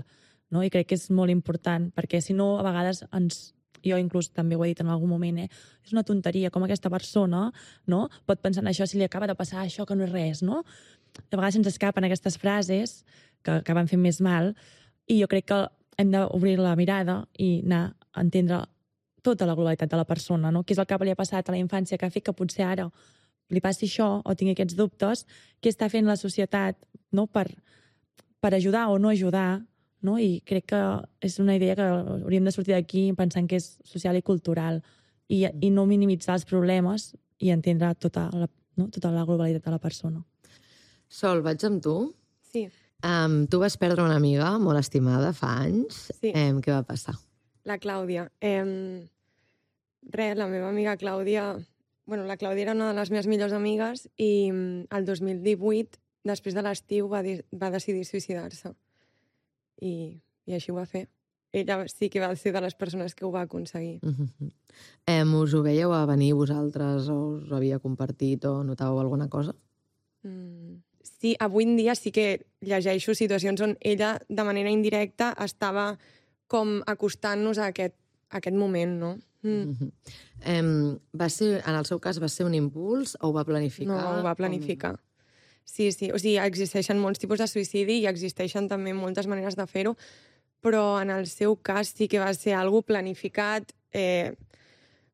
no? I crec que és molt important, perquè si no, a vegades ens... Jo inclús també ho he dit en algun moment, eh? És una tonteria, com aquesta persona, no?, pot pensar en això si li acaba de passar això, que no és res, no? A vegades se'ns escapen aquestes frases que acaben fent més mal, i jo crec que hem d'obrir la mirada i anar a entendre tota la globalitat de la persona, no? Què és el que li ha passat a la infància que ha fet que potser ara li passi això o tingui aquests dubtes, què està fent la societat, no? per, per ajudar o no ajudar, no? I crec que és una idea que hauríem de sortir d'aquí pensant que és social i cultural i, i no minimitzar els problemes i entendre tota la, no? tota la globalitat de la persona. Sol, vaig amb tu. Sí. Um, tu vas perdre una amiga molt estimada fa anys. Sí. Um, què va passar? La Clàudia. Eh, res, la meva amiga Clàudia... Bueno, la Clàudia era una de les meves millors amigues i el dos mil divuit, després de l'estiu, va, va decidir suïcidar-se. I, I així ho va fer. Ella sí que va ser de les persones que ho va aconseguir. Uh-huh. Um, us ho veieu a venir vosaltres o us ho havia compartit o notàveu alguna cosa? Mm. Sí, avui en dia sí que llegeixo situacions on ella, de manera indirecta, estava com acostant-nos a aquest, a aquest moment, no? Mm. Uh-huh. um, va ser, en el seu cas, va ser un impuls o ho va planificar? No, ho va planificar. Sí, sí. O sigui, existeixen molts tipus de suïcidi i existeixen també moltes maneres de fer-ho, però en el seu cas sí que va ser algo planificat, eh,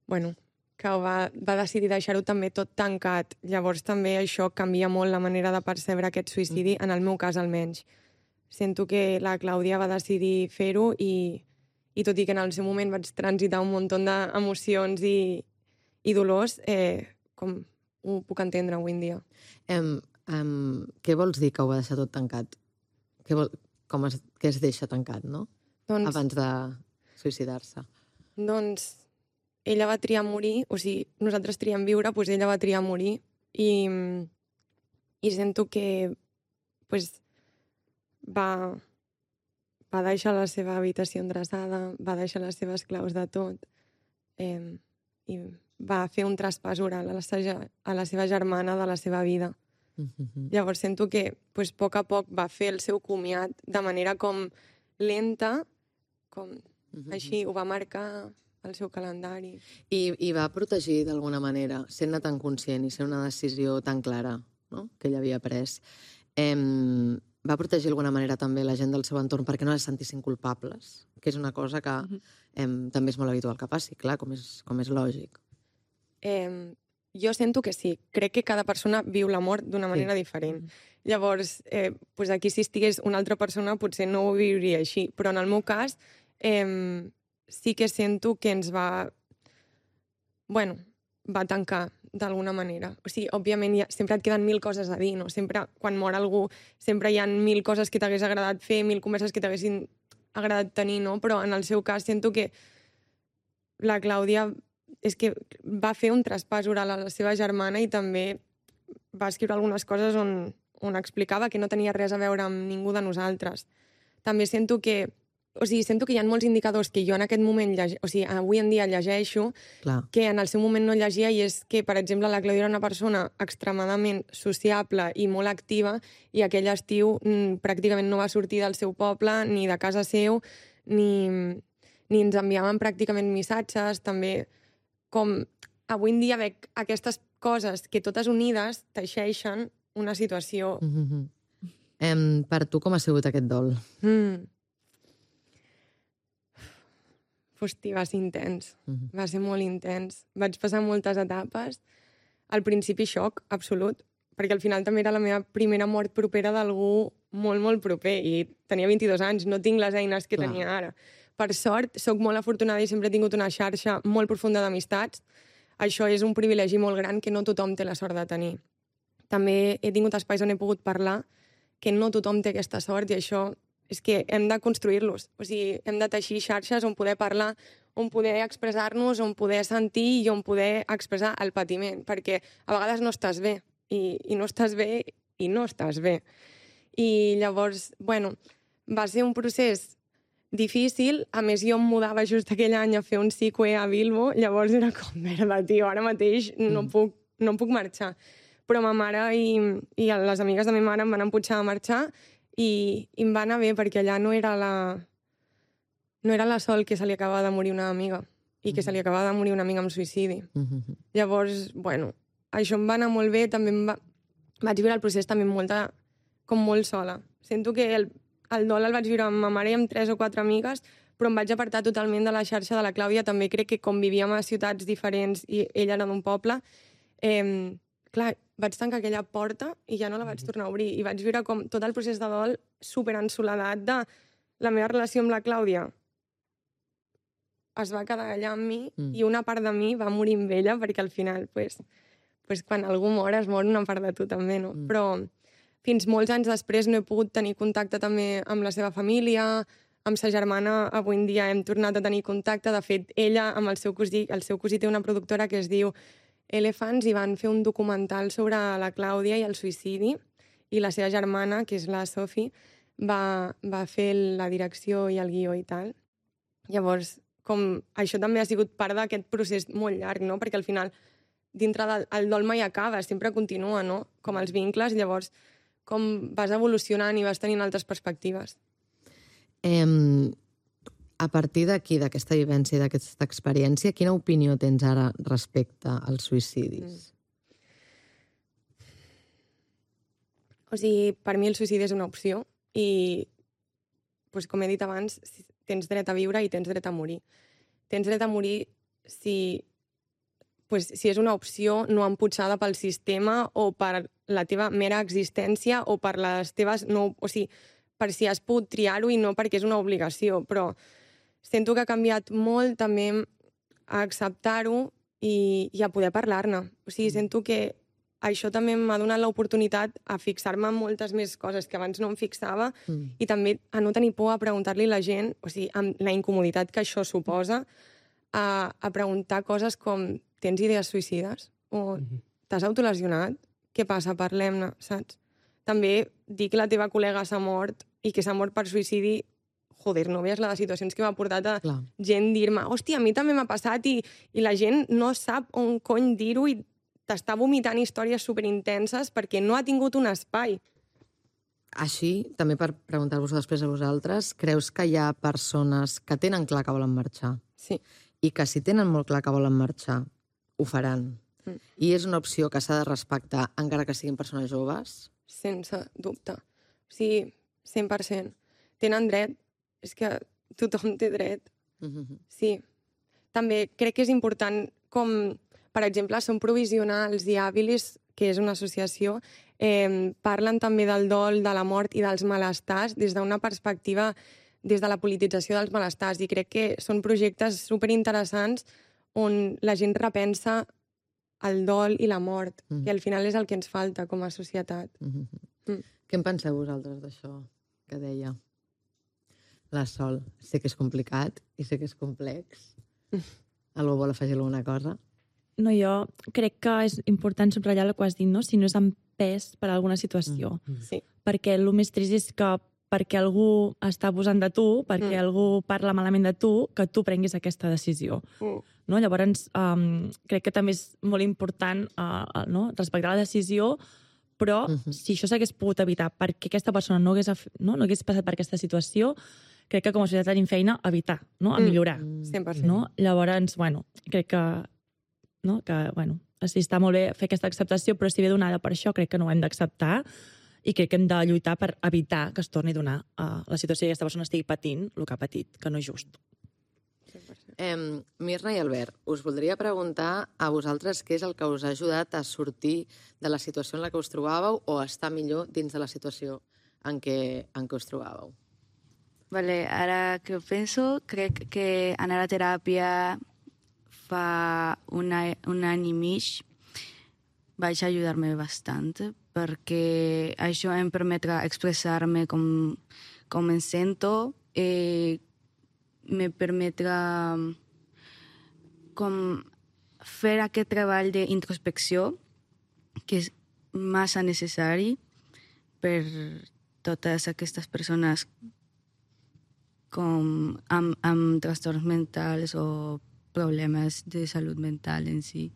bueno, que va, va decidir deixar-ho també tot tancat. Llavors també això canvia molt la manera de percebre aquest suïcidi, en el meu cas almenys. Sento que la Clàudia va decidir fer-ho i, i tot i que en el seu moment vaig transitar un munt d'emocions i, i dolors, eh, com ho puc entendre avui en dia. Um, um, què vols dir que ho va deixar tot tancat? Què, vol, com es, què es deixa tancat, no? Doncs, Abans de suïcidar-se. Doncs ella va triar morir, o sigui, nosaltres triem viure, doncs ella va triar morir i, i sento que pues, va, va deixar la seva habitació endreçada, va deixar les seves claus de tot eh, i va fer un traspàs oral a la, a la seva germana de la seva vida. Uh-huh. Llavors sento que pues, a poc a poc va fer el seu comiat de manera com lenta, com uh-huh. així, ho va marcar el seu calendari. I, i va protegir d'alguna manera, sent-ne tan conscient i ser una decisió tan clara, no?, que ell havia pres. Em, va protegir d'alguna manera també la gent del seu entorn perquè no es sentissin culpables, que és una cosa que uh-huh. em, també és molt habitual que passi, clar, com és, com és lògic. Eh, jo sento que sí. Crec que cada persona viu la mort d'una manera sí. diferent. Llavors, eh, pues aquí si estigués una altra persona potser no ho viuria així, però en el meu cas eh, sí que sento que ens va... Bueno, va tancar d'alguna manera. O sigui, òbviament ja, sempre et queden mil coses a dir, no? Sempre, quan mor algú, sempre hi ha mil coses que t'hagués agradat fer, mil converses que t'haguessin agradat tenir, no? Però en el seu cas sento que la Clàudia és que va fer un traspàs oral a la seva germana i també va escriure algunes coses on, on explicava que no tenia res a veure amb ningú de nosaltres. També sento que O sigui, sento que hi ha molts indicadors que jo en aquest moment, llege... o sigui, avui en dia llegeixo, Clar. que en el seu moment no llegia, i és que, per exemple, la Clàudia era una persona extremadament sociable i molt activa, i aquell estiu mm, pràcticament no va sortir del seu poble, ni de casa seu, ni, ni ens enviaven pràcticament missatges, també com avui en dia veig aquestes coses que totes unides teixeixen una situació. Mm-hmm. Em, per tu com ha sigut aquest dol? Mm. Hosti, va ser intens. Mm-hmm. Va ser molt intens. Vaig passar moltes etapes. Al principi xoc, absolut, perquè al final també era la meva primera mort propera d'algú molt, molt proper, i tenia vint-i-dos anys, no tinc les eines que Clar. tenia ara. Per sort, sóc molt afortunada i sempre he tingut una xarxa molt profunda d'amistats. Això és un privilegi molt gran que no tothom té la sort de tenir. També he tingut espais on he pogut parlar, que no tothom té aquesta sort, i això és que hem de construir-los. O sigui, hem de teixir xarxes on poder parlar, on poder expressar-nos, on poder sentir i on poder expressar el patiment, perquè a vegades no estàs bé, i, i no estàs bé i no estàs bé. I llavors, bueno, va ser un procés difícil. A més, jo em mudava just aquell any a fer un psicoe a Bilbo, llavors era com, merda, tio, ara mateix no, Mm. puc, no puc marxar. Però ma mare i, i les amigues de ma mare em van empujar a marxar, i, i em va anar bé, perquè allà no era la no era la Sol que se li acabava de morir una amiga i que se li acabava de morir una amiga amb suïcidi. Mm-hmm. Llavors, bueno, això em va anar molt bé, també em va... vaig viure el procés també molt de... com molt sola. Sento que el, el dol el vaig viure amb ma mare i amb tres o quatre amigues, però em vaig apartar totalment de la xarxa de la Clàudia. També crec que com vivíem a ciutats diferents i ella era d'un poble, eh, clar, vaig tancar aquella porta i ja no la vaig tornar a obrir. I vaig viure com tot el procés de dol super en soledat de la meva relació amb la Clàudia es va quedar allà amb mi mm. i una part de mi va morir amb ella, perquè al final, pues, pues, quan algú mor, es mor una part de tu també, no? Mm. Però fins molts anys després no he pogut tenir contacte també amb la seva família, amb sa germana avui en dia hem tornat a tenir contacte. De fet, ella amb el seu cosí, el seu cosí té una productora que es diu Elephants i van fer un documental sobre la Clàudia i el suïcidi, i la seva germana, que és la Sophie, va, va fer la direcció i el guió i tal. Llavors, com això també ha sigut part d'aquest procés molt llarg, no? Perquè al final, dintre del el dol mai acaba, sempre continua, no? Com els vincles, llavors, com vas evolucionant i vas tenint altres perspectives. Eh, a partir d'aquí, d'aquesta vivència i d'aquesta experiència, quina opinió tens ara respecte als suïcidis? Mm. O sigui, per mi el suïcidi és una opció i, doncs, com he dit abans, tens dret a viure i tens dret a morir. Tens dret a morir si, pues, si és una opció no emputxada pel sistema o per la teva mera existència o per les teves... No, o sigui, per si has pogut triar-ho i no perquè és una obligació. Però sento que ha canviat molt també a acceptar-ho i, i a poder parlar-ne. O sigui, sento que això també m'ha donat l'oportunitat a fixar-me en moltes més coses que abans no em fixava mm. i també a no tenir por a preguntar-li a la gent, o sigui, amb la incomoditat que això suposa, a, a preguntar coses com tens idees suïcides? O mm-hmm. t'has autolesionat? Què passa? Parlem-ne, saps? També dir que la teva col·lega s'ha mort i que s'ha mort per suïcidi, joder, no veies la de situacions que m'ha portat a Clar. gent dir-me hòstia, a mi també m'ha passat i, i la gent no sap on cony dir-ho i t'està vomitant històries superintenses perquè no ha tingut un espai. Així, també per preguntar-vos després a vosaltres, creus que hi ha persones que tenen clar que volen marxar? Sí. I que si tenen molt clar que volen marxar, ho faran. Mm. I és una opció que s'ha de respectar encara que siguin persones joves? Sense dubte. O sigui, cent per cent. Tenen dret. És que tothom té dret. Mm-hmm. Sí. També crec que és important com... Per exemple, Som Provisionals i Habilis, que és una associació, eh, parlen també del dol, de la mort i dels malestars des d'una perspectiva, des de la politització dels malestars. I crec que són projectes superinteressants on la gent repensa el dol i la mort, mm. que al final és el que ens falta com a societat. Mm-hmm. Mm. Què en penseu vosaltres d'això que deia la Sol? Sé que és complicat i sé que és complex. Mm. Algú vol afegir alguna cosa? No, jo crec que és important subratllar el que has dit, no? Si no és amb pes per a alguna situació. Mm. Sí. Perquè el més trist és que perquè algú està abusant de tu, perquè mm. algú parla malament de tu, que tu prenguis aquesta decisió. Mm. No? Llavors, um, crec que també és molt important uh, no? respectar la decisió, però mm-hmm. si això s'hagués pogut evitar perquè aquesta persona no hagués, no? no hagués passat per aquesta situació, crec que com a societat tenim feina a evitar, no? a millorar. Mm. cent per cent. No? Llavors, bueno, crec que no? que, bueno, sí, està molt bé fer aquesta acceptació, però si ve donada per això, crec que no ho hem d'acceptar i crec que hem de lluitar per evitar que es torni a donar uh, la situació i aquesta persona estigui patint el que ha patit, que no és just. Eh, Mirna i Albert, us voldria preguntar a vosaltres què és el que us ha ajudat a sortir de la situació en la que us trobàveu o a estar millor dins de la situació en què, en què us trobàveu. Vale, ara que ho penso, crec que anar a teràpia fa una, un any i mig vaig ajudar-me bastant perquè això em permetrà expressar-me com, com em sento i me permetrà com fer aquest treball d'introspecció que és massa necessari per totes aquestes persones com amb, amb trastorns mentals o problemes de salut mental en si.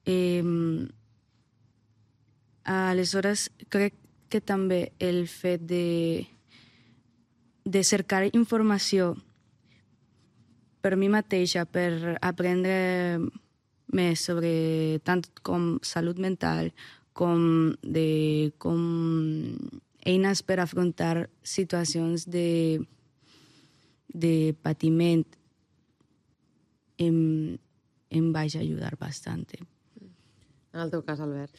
Eh, aleshores, crec que també el fet de, de cercar informació per mi mateixa, per aprendre més sobre tant com salut mental, com de com eines per afrontar situacions de, de patiment em, em vaig ajudar bastante. En el teu cas, Albert?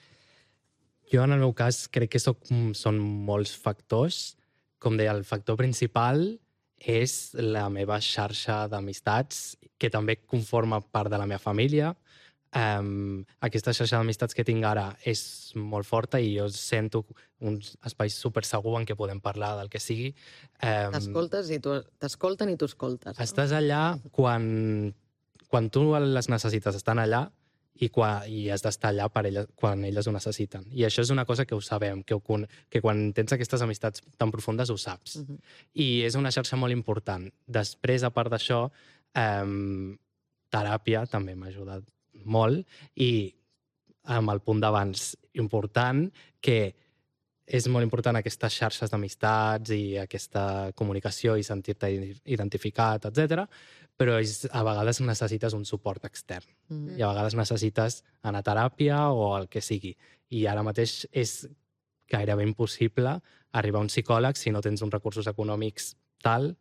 Jo, en el meu cas, crec que soc, són molts factors. Com deia, el factor principal és la meva xarxa d'amistats, que també conforma part de la meva família. Um, aquesta xarxa d'amistats que tinc ara és molt forta i jo sento un espai super segur en què podem parlar del que sigui. Um, T'escoltes i tu, t'escolten i tu escoltes. No? Estàs allà quan, quan tu les necessites, estan allà i, quan, i has d'estar allà per elles, quan elles ho necessiten. I això és una cosa que ho sabem, que, ho, que quan tens aquestes amistats tan profundes ho saps. Uh-huh. I és una xarxa molt important. Després, a part d'això, um, teràpia també m'ha ajudat molt i amb el punt d'abans important, que és molt important aquestes xarxes d'amistats i aquesta comunicació i sentir-te identificat, etcètera, però és, a vegades necessites un suport extern. Mm. I a vegades necessites anar a teràpia o el que sigui. I ara mateix és gairebé impossible arribar a un psicòleg si no tens uns recursos econòmics tal,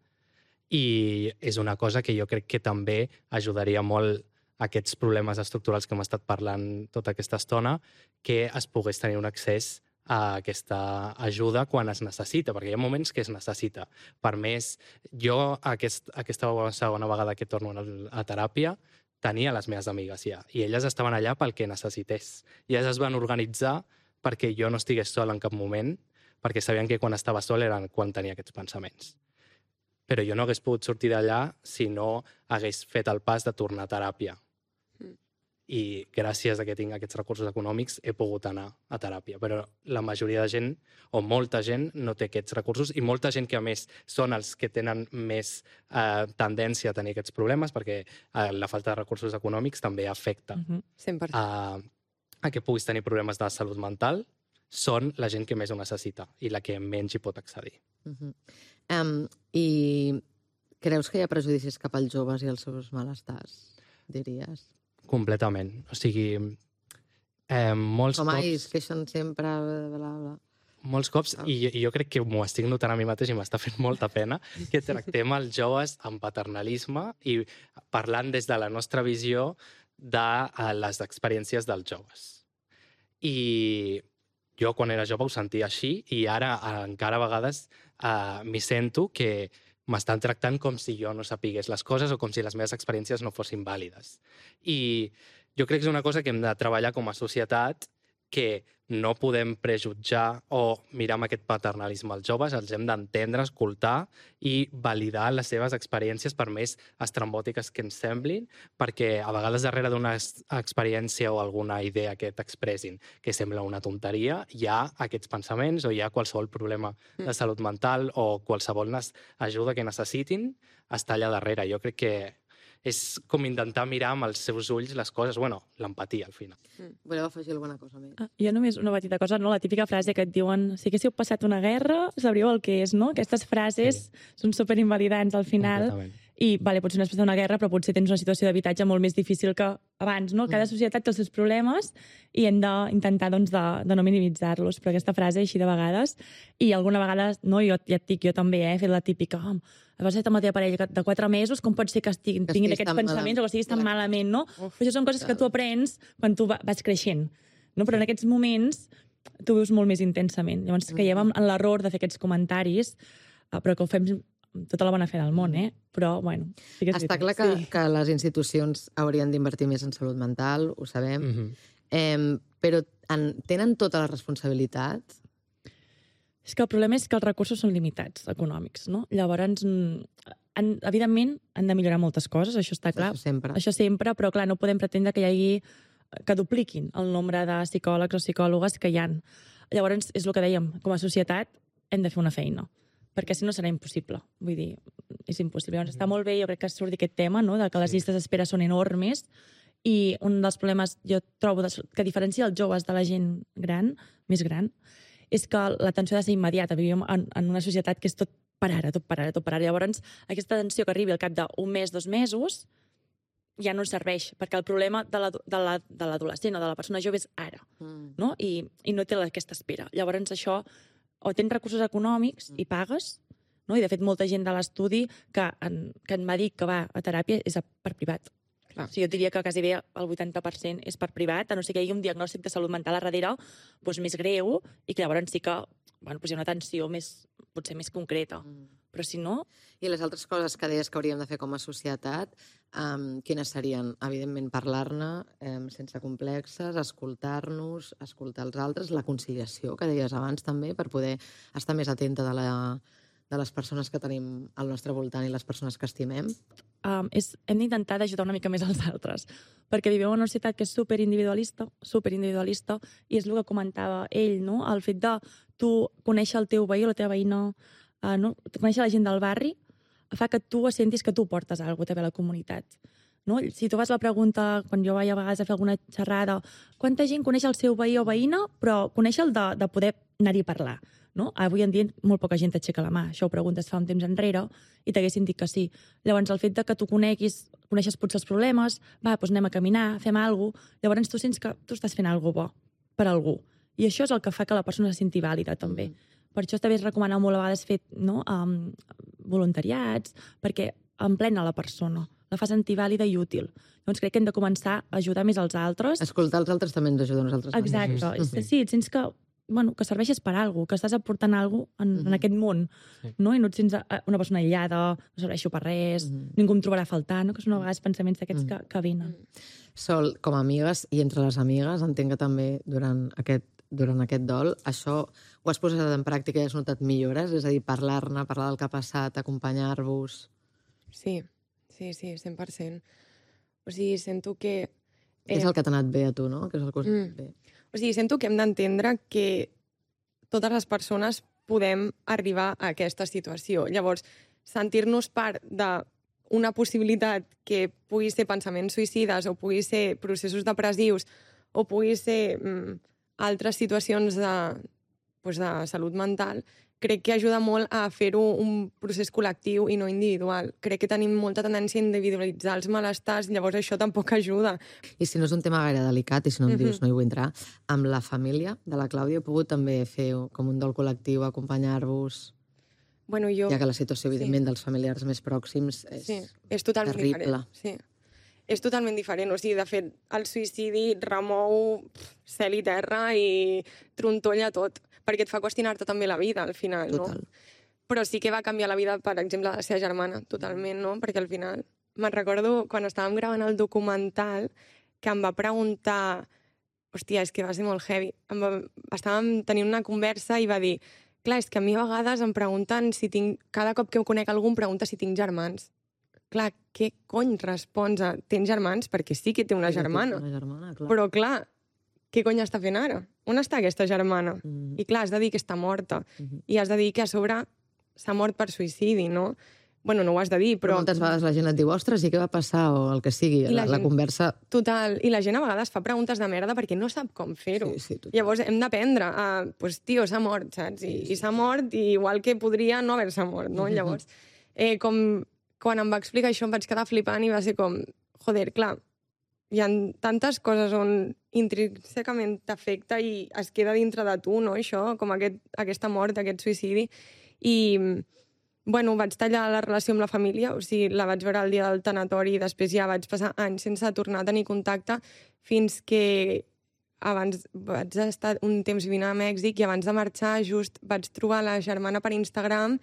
i és una cosa que jo crec que també ajudaria molt aquests problemes estructurals que hem estat parlant tota aquesta estona, que es pogués tenir un accés a aquesta ajuda quan es necessita, perquè hi ha moments que es necessita. Per més, jo aquest, aquesta segona vegada que torno a teràpia tenia les meves amigues ja, i elles estaven allà pel que necessités. I elles es van organitzar perquè jo no estigués sol en cap moment, perquè sabien que quan estava sol era quan tenia aquests pensaments. Però jo no hagués pogut sortir d'allà si no hagués fet el pas de tornar a teràpia. I gràcies a que tinc aquests recursos econòmics he pogut anar a teràpia. Però la majoria de gent, o molta gent, no té aquests recursos, i molta gent que a més són els que tenen més eh, tendència a tenir aquests problemes, perquè eh, la falta de recursos econòmics també afecta uh-huh. cent per cent. a, a que puguis tenir problemes de salut mental, són la gent que més ho necessita i la que menys hi pot accedir. Uh-huh. um, I creus que hi ha prejudicis cap als joves i els seus malestars, diries? Completament. O sigui, eh, molts Com cops... ai, es queixen sempre, bla, bla, bla. Molts cops, i, i jo crec que m'ho estic notant a mi mateix i m'està fent molta pena, que tractem els joves amb paternalisme i parlant des de la nostra visió de les experiències dels joves. I jo quan era jove ho sentia així i ara encara a vegades eh, m'hi sento que m'estan tractant com si jo no sapigués les coses o com si les meves experiències no fossin vàlides. I jo crec que és una cosa que hem de treballar com a societat, que no podem prejutjar o mirar amb aquest paternalisme als joves, els hem d'entendre, escoltar i validar les seves experiències, per més estrambòtiques que ens semblin, perquè a vegades darrere d'una experiència o alguna idea que t'expressin que sembla una tonteria, hi ha aquests pensaments o hi ha qualsevol problema de salut mental o qualsevol ajuda que necessitin, està allà darrere. Jo crec que és com intentar mirar amb els seus ulls les coses, bueno, l'empatia, al final. Mm. Voleu afegir alguna cosa més? Ah, jo només una petita cosa, no? La típica frase que et diuen si haguéssiu passat una guerra, sabríeu el que és, no? Aquestes frases sí. són superinvalidants al final. I, vale, potser no has passat una guerra, però potser tens una situació d'habitatge molt més difícil que abans, no? Cada societat té els seus problemes i hem d'intentar, doncs, de, de no minimitzar-los. Però aquesta frase, així de vegades, i alguna vegada, no? Jo ja et dic, jo també, eh? He fet la típica, oh, vas estar amb la teva parella de quatre mesos, com pot ser que tinguin, tinguin aquests pensaments o que estiguis tan malament, no? Uf, això són coses que tu aprens quan tu vas creixent, no? Però en aquests moments tu vius molt més intensament. Llavors caiem en l'error de fer aquests comentaris, però que ho fem amb tota la bona fe del món, eh? Però, bueno... Sí que Està clar que, sí. que les institucions haurien d'invertir més en salut mental, ho sabem, mm-hmm. eh, però en, tenen tota la responsabilitat? És que el problema és que els recursos són limitats, econòmics, no? Llavors, han, evidentment, han de millorar moltes coses, això està clar. Això sempre. Això sempre, però clar, no podem pretendre que hi hagi, que dupliquin el nombre de psicòlegs o psicòlogues que hi ha. Llavors, és el que dèiem, com a societat hem de fer una feina, perquè si no serà impossible. Vull dir, és impossible. Llavors, està molt bé, jo crec que surti aquest tema, no?, de que les llistes d'espera són enormes, i un dels problemes, jo trobo, que diferencia els joves de la gent gran, més gran, és que l'atenció ha de ser immediata. Vivim en, en una societat que és tot per ara, tot per ara, tot per ara. Llavors, aquesta atenció que arribi al cap d'un mes, dos mesos, ja no serveix, perquè el problema de l'adolescent o de la persona jove és ara, mm. no? I, i no té aquesta espera. Llavors, això o tens recursos econòmics i pagues, no? I de fet molta gent de l'estudi que, en, que en m'ha dit que va a teràpia és a, per privat. Clar. O sigui, jo diria que quasi bé el vuitanta per cent és per privat, a no ser que hi hagi un diagnòstic de salut mental a darrere doncs, més greu i que llavors sí que bueno, doncs hi ha una atenció més, potser més concreta. Mm. Però si no... I les altres coses que deies que hauríem de fer com a societat, um, quines serien? Evidentment, parlar-ne um, sense complexes, escoltar-nos, escoltar els altres, la conciliació, que deies abans també, per poder estar més atenta de, la, de les persones que tenim al nostre voltant i les persones que estimem. Um, és, hem d'intentar d'ajudar una mica més als altres, perquè vivim en una societat que és superindividualista, superindividualista, i és el que comentava ell, no? El fet de tu conèixer el teu veí o la teva veïna, uh, no? Conèixer la gent del barri, fa que tu sentis que tu portes alguna cosa també a la comunitat. No? Si tu vas a la pregunta, quan jo vaig a vegades a fer alguna xerrada, quanta gent coneix el seu veí o veïna, però conèixer el de, de poder anar-hi a parlar. No? Avui en dia molt poca gent t'aixeca la mà. Això ho preguntes fa un temps enrere i t'haguessin dit que sí. Llavors, el fet de que tu coneguis, coneixes potser els problemes, va, doncs anem a caminar, fem alguna cosa, llavors tu sents que tu estàs fent alguna cosa bo per algú. I això és el que fa que la persona se senti vàlida, també. Mm. Per això també es recomana molt a vegades fer no, um, voluntariats, perquè emplena la persona, la fa sentir vàlida i útil. Llavors crec que hem de començar a ajudar més als altres. Escoltar els altres també ens ajuda a nosaltres. Exacte. Sí. Sí, et sents que, bueno, que serveixes per alguna cosa, que estàs aportant alguna cosa en, mm-hmm. en aquest món, sí. No? I no et sents una persona aïllada, no serveixo per res, mm-hmm. ningú em trobarà a faltar, no? Que són a vegades pensaments d'aquests mm-hmm. que, que venen. Sol, com a amigues i entre les amigues, entenc que també durant aquest durant aquest dol, això ho has posat en pràctica i has notat millores? És a dir, parlar-ne, parlar del que ha passat, acompanyar-vos... Sí, sí, sí, cent per cent. O sigui, sento que... Eh... És el que t'ha anat bé a tu, no? Que és el que us mm. bé. O sigui, sento que hem d'entendre que totes les persones podem arribar a aquesta situació. Llavors, sentir-nos part d'una possibilitat que pugui ser pensaments suïcides o pugui ser processos depressius o pugui ser... Mm, altres situacions de, doncs de salut mental, crec que ajuda molt a fer-ho un procés col·lectiu i no individual. Crec que tenim molta tendència a individualitzar els malestars, llavors això tampoc ajuda. I si no és un tema gaire delicat, i si no em dius, mm-hmm. no hi vull entrar, amb la família de la Clàudia he pogut també fer com un dol col·lectiu, acompanyar-vos... Bueno, jo... Ja que la situació, evidentment, sí. dels familiars més pròxims és, sí. és totalment terrible. Diferent. Sí. És totalment diferent. O sigui, de fet, el suïcidi remou cel i terra i trontolla tot, perquè et fa qüestionar-te també la vida, al final, Total. no? Però sí que va canviar la vida, per exemple, de la seva germana, totalment, no? Perquè al final, me'n recordo, quan estàvem gravant el documental, que em va preguntar... Hòstia, és que va ser molt heavy. Em va... Estàvem tenint una conversa i va dir clar, és que a mi a vegades em pregunten si tinc... Cada cop que conec algú em pregunta si tinc germans. Clar, què cony respons a... Tens germans? Perquè sí que té una germana. Una germana clar. Però, clar, què cony està fent ara? On està aquesta germana? Mm. I, clar, has de dir que està morta. Mm-hmm. I has de dir que, a sobre, s'ha mort per suïcidi, no? Bueno, no ho has de dir, però... Però moltes vegades la gent et diu, ostres, i què va passar? O el que sigui, la, la, gent... la conversa... Total. I la gent a vegades fa preguntes de merda perquè no sap com fer-ho. Sí, sí, Llavors hem d'aprendre a... Pues, tio, s'ha mort, saps? I, sí, sí. i s'ha mort, i igual que podria no haver-se mort, no? Llavors, eh, com... Quan em va explicar això em vaig quedar flipant i va ser com, joder, clar, hi ha tantes coses on intrínsecament t'afecta i es queda dintre de tu, no, això, com aquest, aquesta mort, aquest suïcidi. I, bueno, vaig tallar la relació amb la família, o sigui, la vaig veure el dia del tanatori i després ja vaig passar anys sense tornar a tenir contacte fins que abans vaig estar un temps vivint a Mèxic i abans de marxar just vaig trobar la germana per Instagram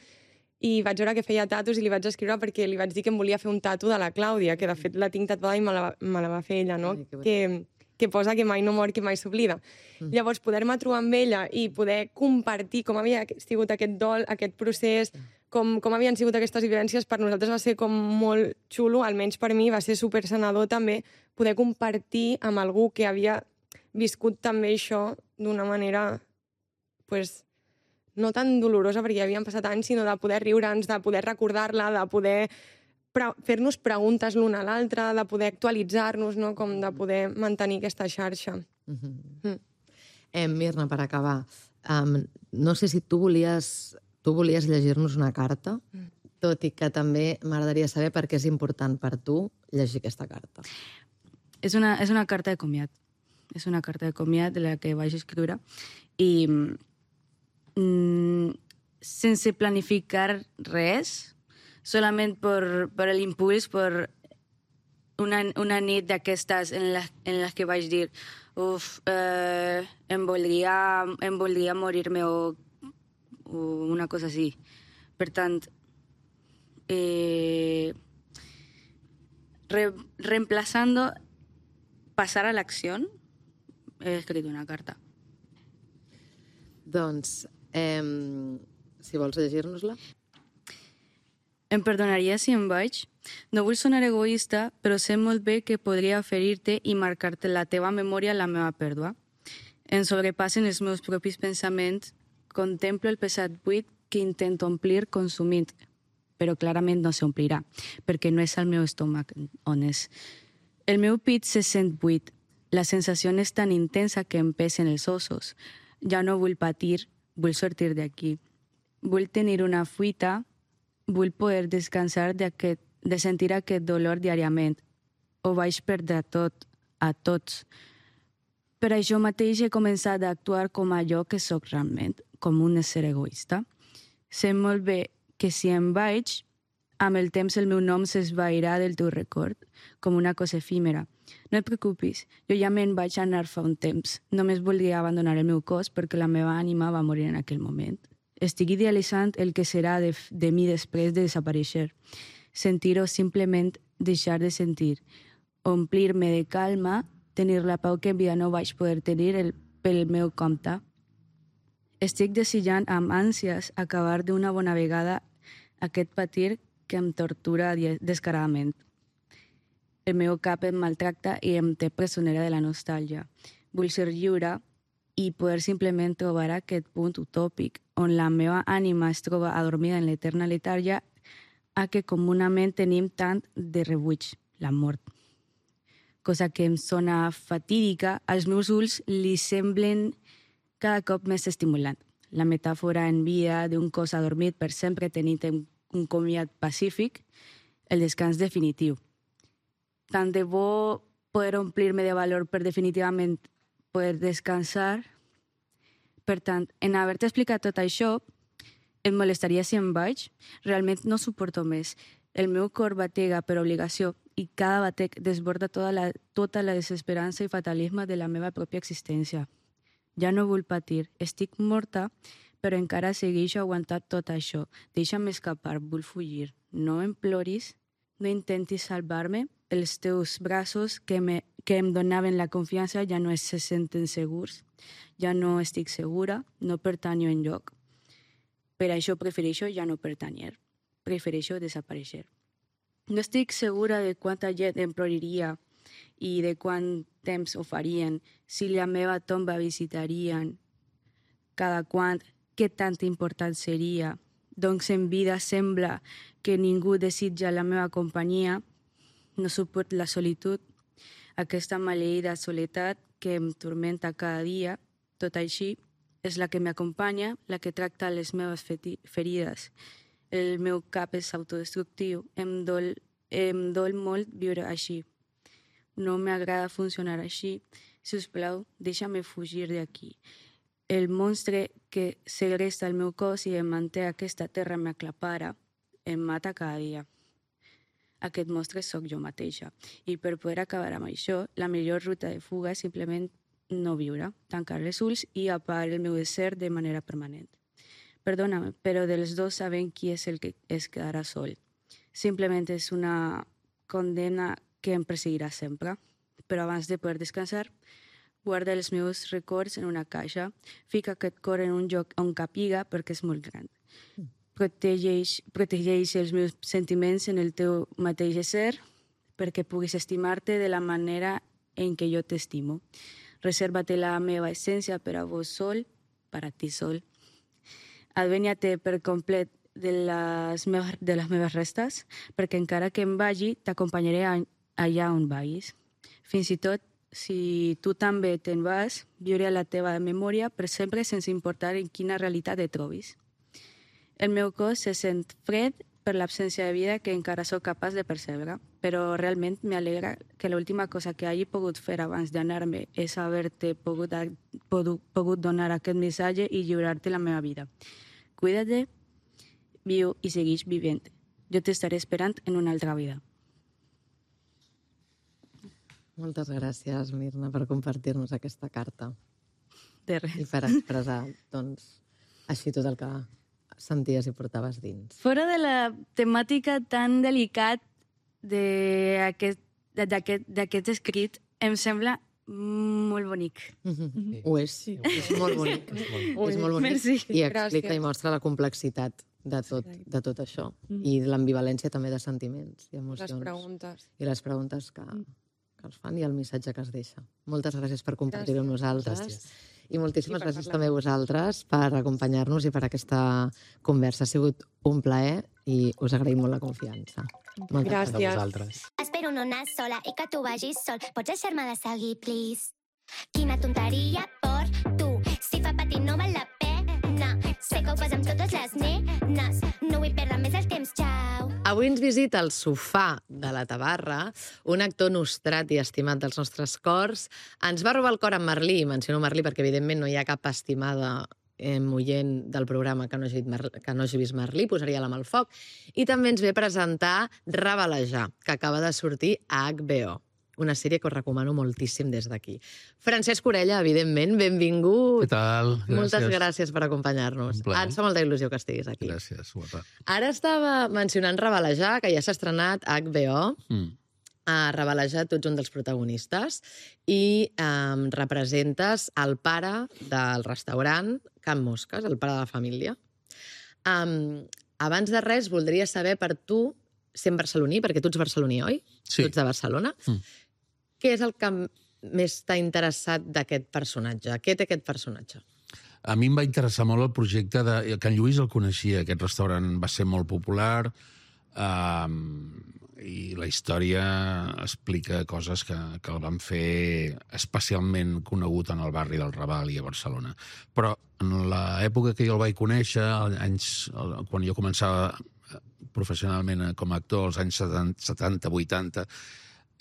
i vaig veure que feia tatus i li vaig escriure perquè li vaig dir que em volia fer un tatu de la Clàudia, que de fet la tinc tatuada i me la, me la va fer ella, no? Ai, que, que, que posa que mai no mor, que mai s'oblida. Mm. Llavors, poder-me trobar amb ella i poder compartir com havia sigut aquest dol, aquest procés, com, com havien sigut aquestes vivències, per nosaltres va ser com molt xulo, almenys per mi va ser supersanador també, poder compartir amb algú que havia viscut també això d'una manera, pues, no tan dolorosa perquè ja havien passat anys, sinó de poder riure'ns, de poder recordar-la, de poder pre- fer-nos preguntes l'un a l'altre, de poder actualitzar-nos, no? Com de poder mantenir aquesta xarxa. Mm-hmm. Mm. Eh, Mirna, per acabar, um, no sé si tu volies, tu volies llegir-nos una carta, mm. tot i que també m'agradaria saber per què és important per tu llegir aquesta carta. És una, és una carta de comiat. És una carta de comiat de la que vaig escriure i mm, sense planificar res, solament per, per l'impuls, per una, una nit d'aquestes en les en les que vaig dir uf, eh, em, voldria, em voldria morir-me o, o una cosa així. Per tant, eh, re, reemplazando pasar a l'acció, he escrit una carta. Doncs, eh, si vols llegir-nos-la. Em perdonaries si em vaig? No vull sonar egoista, però sé molt bé que podria ferir-te i marcar-te la teva memòria la meva pèrdua. Em sobrepassen els meus propis pensaments, contemplo el pesat buit que intento omplir consumint, però clarament no s'omplirà, perquè no és el meu estómac on és. El meu pit se sent buit. La sensació és tan intensa que em pesen els ossos. Ja no vull patir, vull sortir d'aquí. Vull tenir una fuita, vull poder descansar d'aquest, de sentir aquest dolor diàriament. Ho vaig perdre tot, a tots. Per això mateix he començat a actuar com allò que sóc realment, com un ésser egoista. Sé molt bé que si em vaig, amb el temps el meu nom s'esvairà del teu record, com una cosa efímera. No et preocupis, jo ja me'n vaig anar fa un temps. Només voldria abandonar el meu cos perquè la meva ànima va morir en aquell moment. Estic idealitzant el que serà de, de mi després de desaparèixer. Sentir o simplement deixar de sentir. Omplir-me de calma, tenir la pau que en vida no vaig poder tenir el, pel meu compte. Estic desitjant amb ànsies acabar d'una bona vegada aquest patir que em tortura descaradament. El meu cap em maltracta i em té presonera de la nostàlgia. Vull ser lliure i poder simplement trobar aquest punt utòpic on la meva ànima es troba adormida en l'eterna letàrgia a què comunament tenim tant de rebuig, la mort. Cosa que em sona fatídica, als meus ulls li semblen cada cop més estimulant. La metàfora en vida d'un cos adormit per sempre tenint un comiat pacífic, el descans definitiu. Tant de bo poder omplir-me de valor per definitivament poder descansar. Per tant, en haver-te explicat tot això, et molestaria si em vaig? Realment no suporto més. El meu cor batega per obligació i cada batec desborda tota la, tota la desesperança i fatalisme de la meva pròpia existència. Ja no vull patir, estic morta, però encara segueixo aguantant tot això. Deixa'm escapar, vull fugir. No em ploris, no intentis salvar-me. Els teus braços que, me, que em donaven la confiança ja no se senten segurs. Ja no estic segura, no pertanyo enlloc. Per això prefereixo ja no pertanyer. Prefereixo desaparèixer. No estic segura de quanta gent em ploriria i de quant temps ho farien, si la meva tomba visitarien, cada quant, què tan important seria. Doncs en vida sembla que ningú desitja la meva companyia, no suport la solitud, aquesta maleïda soledat que em tormenta cada dia, tot així, és la que m'acompanya, la que tracta les meves ferides. El meu cap és autodestructiu, em dol, em dol molt viure així. No m'agrada funcionar així. Si us plau, deixa'm fugir d'aquí. El monstre que segresta el meu cos i em manté a aquesta terra m'aclapara, em mata cada dia. Aquest monstre sóc jo mateixa. I per poder acabar amb això, la millor ruta de fuga és simplement no viure, tancar els ulls i apagar el meu ésser de manera permanent. Perdóname, però dels dos sabem qui és el que es quedarà sol. Simplement és una condemna que em perseguirà sempre. Però abans de poder descansar, guarda els meus records en una caixa, fica aquest cor en un lloc on capiga perquè és molt gran. Protegeix, protegeix els meus sentiments en el teu mateix ésser perquè puguis estimar-te de la manera en què jo t'estimo. Reserva-te la meva essència per a vos sol, per a ti sol. Advenya-te per complet de les, meves, de les meves restes, perquè encara que em vagi, t'acompanyaré allà on vagis. Fins i tot, si tu també te'n vas, viuré a la teva memòria per sempre sense importar en quina realitat et trobis. El meu cos se sent fred per l'absència de vida que encara sóc capaç de percebre. però realment m'alegra que l'última cosa que hagi pogut fer abans d'anar-me és haver-te pogut, pogut, pogut donar aquest missatge i lliurar-te la meva vida. Cuida-te, viu i segueix vivint. Jo t'estaré esperant en una altra vida. Moltes gràcies, Mirna, per compartir-nos aquesta carta. De res. I per expressar, doncs, així tot el que senties i portaves dins. Fora de la temàtica tan delicat d'aquest escrit, em sembla molt bonic. Mm-hmm. Ho és, sí. És molt bonic. És molt bonic. Merci. I explica i mostra la complexitat de tot, de tot això. I l'ambivalència també de sentiments i emocions. Les preguntes. I les preguntes que, que els fan i el missatge que es deixa. Moltes gràcies per compartir-ho amb nosaltres. Gràcies. I moltíssimes I gràcies també a vosaltres per acompanyar-nos i per aquesta conversa. Ha sigut un plaer i us agraïm molt la confiança. Moltes gràcies. A vosaltres. Espero no anar sola i que tu vagis sol. Pots deixar-me de seguir, please? Quina tonteria per tu. Si fa patir no val la pena. Sé que ho fas amb totes les nenes. No vull perdre més el temps, xau. Avui ens visita al sofà de la Tabarra un actor nostrat i estimat dels nostres cors. Ens va robar el cor amb Merlí, menciono Merlí perquè evidentment no hi ha cap estimada eh, oient del programa que no hagi, que no hagi vist Merlí, posaria la mà al foc. I també ens ve a presentar Ravalejar, que acaba de sortir a H B O. Una sèrie que us recomano moltíssim des d'aquí. Francesc Orella, evidentment, benvingut. Què tal? Gràcies. Moltes gràcies per acompanyar-nos. Ens fa molta il·lusió que estiguis aquí. Gràcies, guapa. Ara estava mencionant Ravalejar, que ja s'ha estrenat a H B O. Mm. A Ravalejar, tu ets un dels protagonistes i um, representes el pare del restaurant Can Mosques, el pare de la família. Um, abans de res, voldria saber per tu, sent barceloní, perquè tu ets barceloní, oi? Sí. Tu ets de Barcelona. Mm. Què és el que més t'ha interessat d'aquest personatge? Què té aquest personatge? A mi em va interessar molt el projecte de... Can Lluís el coneixia, aquest restaurant va ser molt popular um, i la història explica coses que, que el van fer especialment conegut en el barri del Raval i a Barcelona. Però en l'època que jo el vaig conèixer, anys, quan jo començava professionalment com a actor, als anys setanta vuitanta,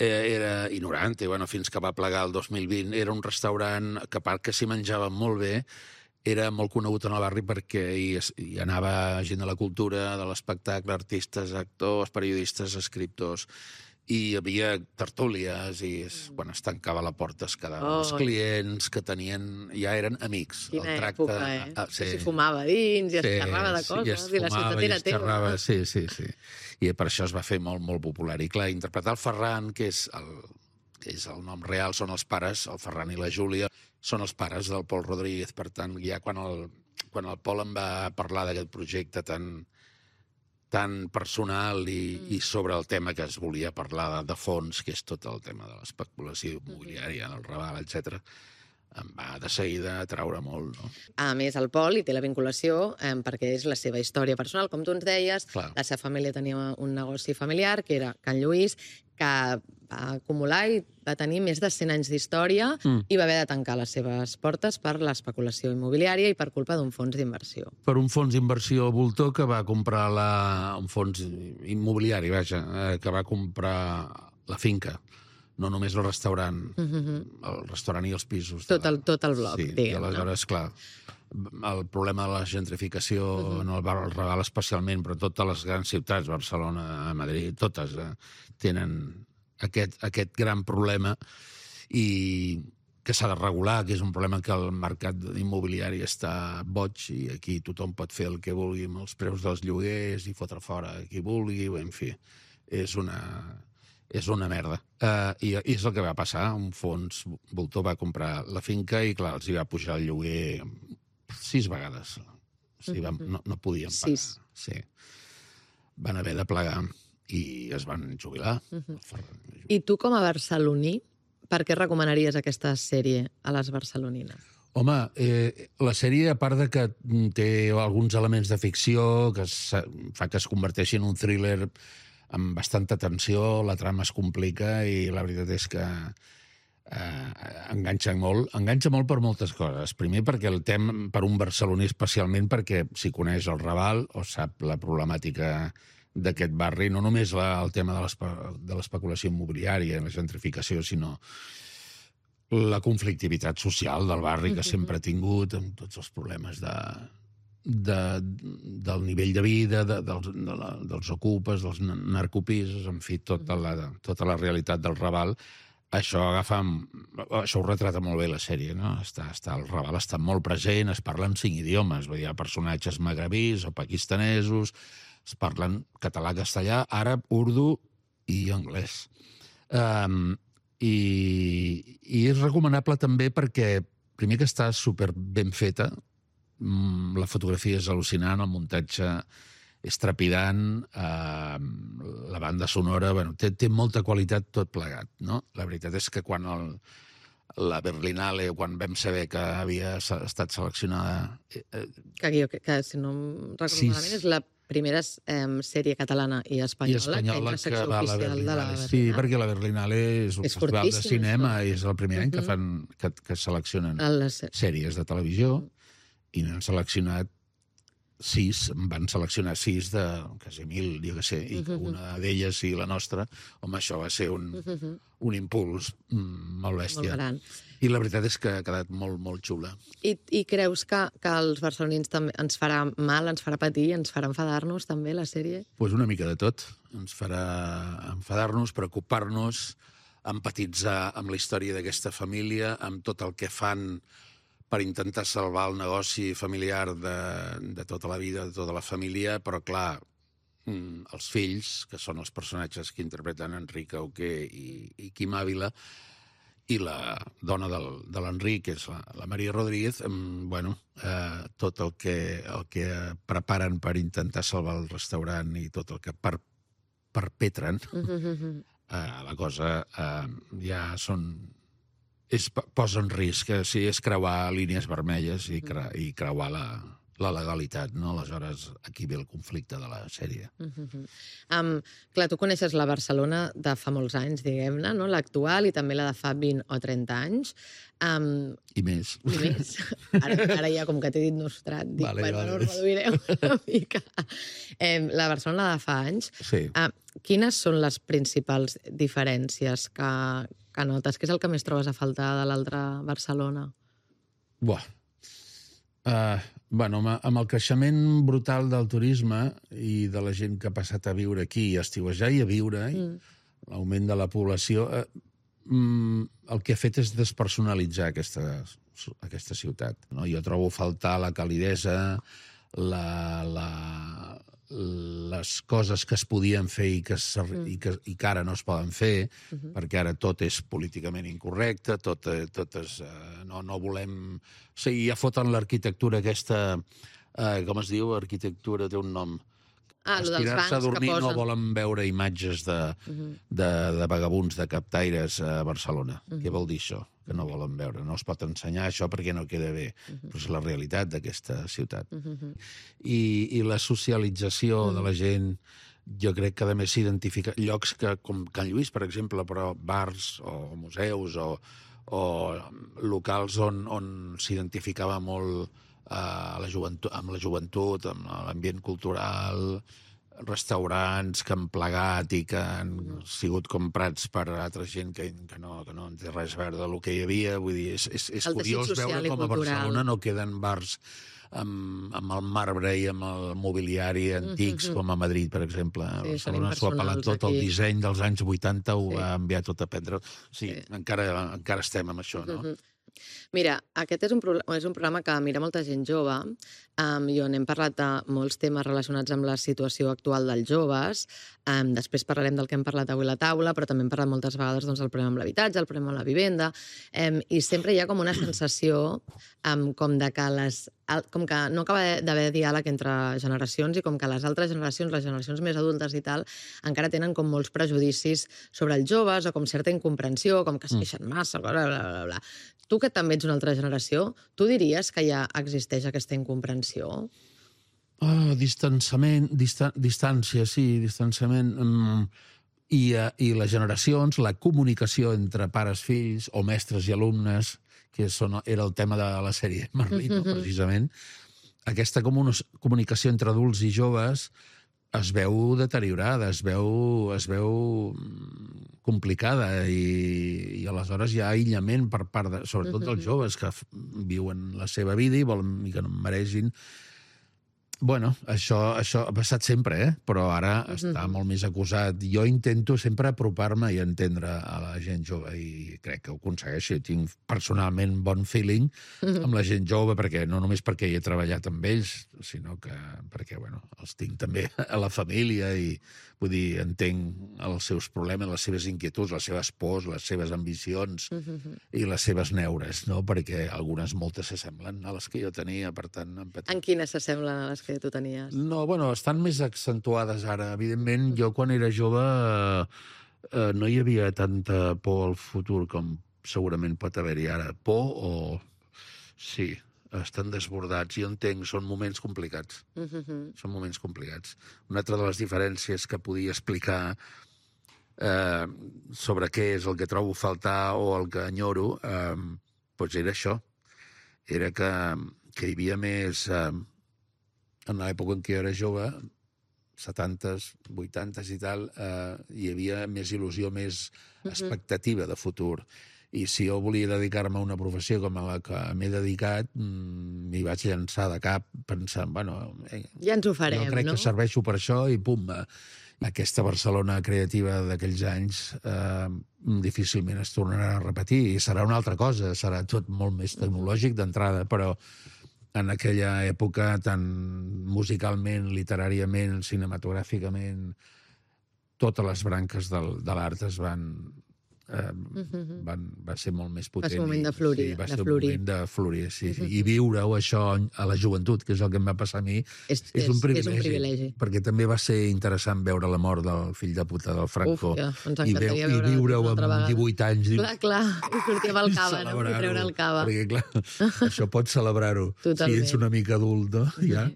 era, i noranta, i bueno, fins que va plegar el dos mil vint, era un restaurant que, a part que s'hi menjava molt bé, era molt conegut en el barri perquè hi, hi anava gent de la cultura, de l'espectacle, artistes, actors, periodistes, escriptors, i hi havia tertúlies i bueno, es tancava la porta, es quedaven oh, els clients que tenien, ja eren amics. Quina el tracte, època, eh? Ah, sí. S'hi fumava dins i es sí, xerrava de coses, sí, i, es i la ciutat era teva. Sí, sí, sí. I per això es va fer molt, molt popular. I clar, interpretar el Ferran, que és el, que és el nom real, són els pares, el Ferran i la Júlia, són els pares del Pol Rodríguez. Per tant, ja quan el, quan el Pol em va parlar d'aquest projecte tan, tan personal i, mm. i sobre el tema que es volia parlar de, de fons, que és tot el tema de l'especulació immobiliària, el Raval, etcètera, em va de seguida atraure molt. No? A més, el Pol hi té la vinculació eh, perquè és la seva història personal. Com tu ens deies, Clar. La seva família tenia un negoci familiar, que era Can Lluís, que va acumular i va tenir més de cent anys d'història mm. i va haver de tancar les seves portes per l'especulació immobiliària i per culpa d'un fons d'inversió. Per un fons d'inversió voltor que va comprar la, un fons immobiliari, vaja, eh, que va comprar la finca, no només el restaurant, mm-hmm. el restaurant i els pisos. Tot el, tot el bloc, sí, diguem. I aleshores, clar, el problema de la gentrificació, uh-huh. no el Raval especialment, però totes les grans ciutats, Barcelona, Madrid, totes eh, tenen aquest, aquest gran problema i que s'ha de regular, que és un problema que el mercat immobiliari està boig i aquí tothom pot fer el que vulgui amb els preus dels lloguers i fotre fora qui vulgui, en fi, és una... és una merda. Uh, i, I és el que va passar. Un fons voltor va comprar la finca i, clar, els hi va pujar el lloguer sis vegades. O sigui, van, no, no podien pagar. Sis. Sí. Van haver de plegar i es van jubilar. Uh-huh. I tu, com a barceloní, per què recomanaries aquesta sèrie a les barcelonines? Home, eh, la sèrie, a part de que té alguns elements de ficció, que es, fa que es converteixi en un thriller amb bastanta tensió, la trama es complica i la veritat és que eh, enganxa molt. Enganxa molt per moltes coses. Primer perquè el tema, per un barceloní especialment, perquè si coneix el Raval o sap la problemàtica d'aquest barri, no només la, el tema de l'espe- de l'especulació immobiliària, la gentrificació, sinó la conflictivitat social del barri que sempre ha tingut, amb tots els problemes de, de, del nivell de vida, de, dels, de la, dels ocupes, dels narcopisos, en fi, tota la, tota la realitat del Raval. Això agafa... Això ho retrata molt bé la sèrie, no? Està, està, el Raval està molt present, es parlen cinc idiomes, hi ha personatges magrebís o pakistanesos, es parlen català, castellà, àrab, urdu i anglès. Um, i, I és recomanable també perquè, primer que està super ben feta, la fotografia és al·lucinant, el muntatge és trepidant, eh, la banda sonora, bueno, té, té molta qualitat tot plegat, no? La veritat és que quan el, la Berlinale, quan vam saber que havia estat seleccionada... Eh, que, que, que, si no em recordo sí, malament, és la primera eh, sèrie catalana i espanyola, i espanyola que entra secció que va a la oficial de la Berlinale. Berlinale. Sí, perquè la Berlinale és un És festival de fortíssim, cinema això. i és el primer any que, fan, que, que seleccionen Les... sèries de televisió i n'han seleccionat sis, van seleccionar sis de quasi mil, jo què sé, i que una d'elles i la nostra, home, això va ser un, un impuls mm, molt bèstia. Molt gran. I la veritat és que ha quedat molt, molt xula. I, i creus que, que els barcelonins també ens farà mal, ens farà patir, ens farà enfadar-nos també la sèrie? Doncs pues una mica de tot. Ens farà enfadar-nos, preocupar-nos, empatitzar amb la història d'aquesta família, amb tot el que fan per intentar salvar el negoci familiar de, de tota la vida, de tota la família, però, clar, els fills, que són els personatges que interpreten Enric Auqué i, i Quim Ávila, i la dona del, de l'Enric, que és la, la Maria Rodríguez, eh, bueno, eh, tot el que, el que preparen per intentar salvar el restaurant i tot el que per, perpetren, eh, la cosa eh, ja són... És, posa en risc, que si és creuar línies vermelles i, cre, i creuar la, la legalitat, no? Aleshores, aquí ve el conflicte de la sèrie. Uh-huh. Um, clar, tu coneixes la Barcelona de fa molts anys, diguem-ne, no? L'actual i també la de fa vint o trenta anys. Um, I més. I més. Ara, ara ja, com que t'he dit nostrat, dic, Vale, bueno, vale. no reduirem una mica. Eh, la Barcelona de fa anys, Sí. uh, quines són les principals diferències que, que notes? Què és el que més trobes a faltar de l'altra Barcelona? Buah. Uh, bueno, amb, amb el creixement brutal del turisme i de la gent que ha passat a viure aquí, a estiuejar i a viure, mm. l'augment de la població, uh, mm, el que ha fet és despersonalitzar aquesta, aquesta ciutat. No? Jo trobo a faltar la calidesa, la, la, les coses que es podien fer i que, mm. i que, i que ara no es poden fer, uh-huh. perquè ara tot és políticament incorrecte, tot, tot és... Eh, no, no volem... O sigui, ja foten l'arquitectura aquesta... Eh, com es diu? Arquitectura té un nom. Ah, lo dels Estirar-se a bancs dormir que posen. no volen veure imatges de, uh-huh. de, de vagabuns, de captaires a Barcelona. Uh-huh. Què vol dir això? Que no volen veure. No es pot ensenyar això perquè no queda bé. Uh-huh. Però és la realitat d'aquesta ciutat. Uh-huh. I, I la socialització uh-huh. de la gent, jo crec que a més s'identifica llocs que, com Can Lluís, per exemple, però bars o museus o, o locals on, on s'identificava molt a la joventut, amb la joventut, amb l'ambient cultural, restaurants que han plegat i que han sigut comprats per altra gent que, que, no, que no en té res a veure del que hi havia. Vull dir, és, és, és curiós veure com a Barcelona no queden bars amb, amb el marbre i amb el mobiliari antics, mm-hmm. com a Madrid, per exemple. Sí, Barcelona s'ho ha pelat tot, aquí. El disseny dels anys vuitanta ho sí. ha enviat tot a prendre. Sí, sí. Encara, encara estem amb això, no? Mm-hmm. Mira, aquest és un, pro és un programa que mira molta gent jove um, i on hem parlat de molts temes relacionats amb la situació actual dels joves. Um, després parlarem del que hem parlat avui a la taula, però també hem parlat moltes vegades doncs, del problema amb l'habitatge, el problema amb la vivenda, um, i sempre hi ha com una sensació um, com de que les... com que no acaba d'haver diàleg entre generacions i com que les altres generacions, les generacions més adultes i tal, encara tenen com molts prejudicis sobre els joves o com certa incomprensió, com que es queixen massa, bla, bla, bla, bla. Tu, que també ets una altra generació, tu diries que ja existeix aquesta incomprensió? Oh, distanciament, distan distància, sí, distanciament. Mm, i, uh, I les generacions, la comunicació entre pares, fills o mestres i alumnes, que són, era el tema de la sèrie Merlí, no, precisament. Aquesta comunicació entre adults i joves es veu deteriorada, es veu, es veu complicada i, i aleshores hi ha aïllament per part, de, sobretot dels joves que viuen la seva vida i volen i que no en mereixin. Bueno, això, això ha passat sempre, eh? Però ara està molt més acusat. Jo intento sempre apropar-me i entendre a la gent jove i crec que ho aconsegueixo. Tinc personalment bon feeling amb la gent jove, perquè no només perquè hi he treballat amb ells, sinó que perquè, bueno, els tinc també a la família i, vull dir, entenc els seus problemes, les seves inquietuds, les seves pors, les seves ambicions i les seves neures, no? Perquè algunes moltes s'assemblen a les que jo tenia, per tant... Empatia. En quines s'assemblen a les que tu tenies? No, bueno, estan més accentuades ara. Evidentment, jo quan era jove eh, eh, no hi havia tanta por al futur com segurament pot haver-hi ara. Por o... Sí, estan desbordats. Jo entenc, són moments complicats. Uh-huh. Són moments complicats. Una altra de les diferències que podia explicar eh, sobre què és el que trobo a faltar o el que enyoro, eh, doncs era això. Era que, que hi havia més... Eh, en l'època en què jo era jove, setantes, vuitantes i tal, eh, hi havia més il·lusió, més expectativa de futur. I si jo volia dedicar-me a una professió com a la que m'he dedicat, m'hi vaig llançar de cap pensant, bueno... Eh, ja ens ho farem, jo crec no? que serveixo per això i pum, eh, aquesta Barcelona creativa d'aquells anys eh, difícilment es tornarà a repetir i serà una altra cosa, serà tot molt més tecnològic d'entrada, però en aquella època, tant musicalment, literàriament, cinematogràficament, totes les branques del, de l'art es van... Eh, Uh-huh. van, va ser molt més potent. Va ser un moment de florir, sí, va de ser florir. un moment de florir, sí, sí. I viure-ho això a la joventut, que és el que em va passar a mi, És, és, un privilegi, és un privilegi. perquè també va ser interessant veure la mort del fill de puta del Franco. Uf, ja, ens i, encantaria veu, veure i viure-ho una altra amb vegada. divuit anys. Clar, clar, i sortir amb el cava, no? I treure el cava. Perquè, clar, això pots celebrar-ho. Totalment. Si ets una mica adult, no? Ja.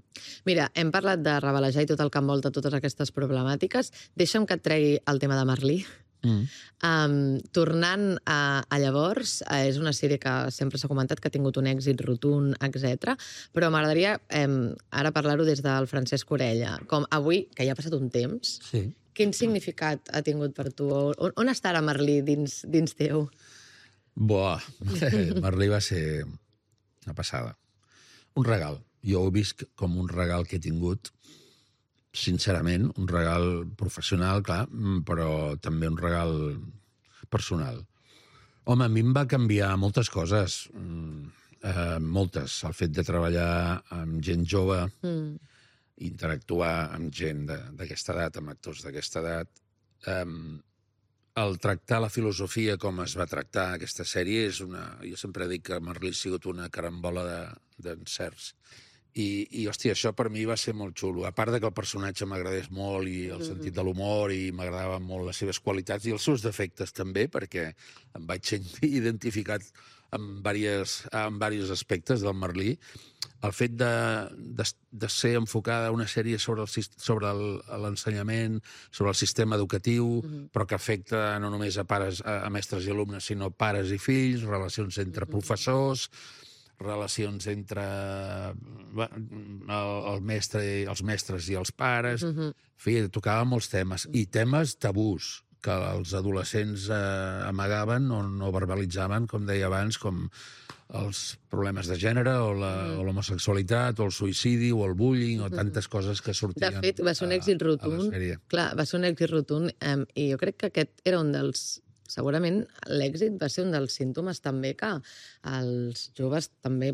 Mira, hem parlat de revelejar i tot el que envolta totes aquestes problemàtiques. Deixa'm que et tregui el tema de Merlí. Mm. Um, tornant a, a llavors, eh, és una sèrie que sempre s'ha comentat que ha tingut un èxit rotund, etcètera. Però m'agradaria eh, ara parlar-ho des del Francesc Orella. Com avui, que ja ha passat un temps, Sí. quin significat ha tingut per tu? On, on està ara Merlí dins, dins teu? Buah, Merlí va ser una passada. Un regal. Jo ho he vist com un regal que he tingut, sincerament, un regal professional, clar, però també un regal personal. Home, a mi em va canviar moltes coses, eh, moltes. El fet de treballar amb gent jove, Mm. interactuar amb gent d'aquesta edat, amb actors d'aquesta edat, eh, el tractar la filosofia com es va tractar aquesta sèrie és una... Jo sempre dic que Merlí ha sigut una carambola d'encerts. De, I, i, hòstia, això per mi va ser molt xulo. A part de que el personatge m'agradés molt i el sentit de l'humor i m'agradaven molt les seves qualitats i els seus defectes també, perquè em vaig sentir identificat en diversos, en diversos aspectes del Merlí. El fet de, de, de ser enfocada una sèrie sobre el, sobre l'ensenyament, sobre el sistema educatiu, mm-hmm. però que afecta no només a pares, a, a mestres i alumnes, sinó pares i fills, relacions entre mm-hmm. professors, relacions entre el, el mestre, els mestres i els pares. Mhm. En fi, tocava molts temes. I temes tabús que els adolescents eh, amagaven o no verbalitzaven, com deia abans, com els problemes de gènere o l'homosexualitat o el suïcidi o el bullying o tantes coses que sortien. De fet, va ser un èxit rotund. Clar, va ser un èxit rotund eh, i jo crec que aquest era un dels... Segurament l'èxit va ser un dels símptomes també que els joves també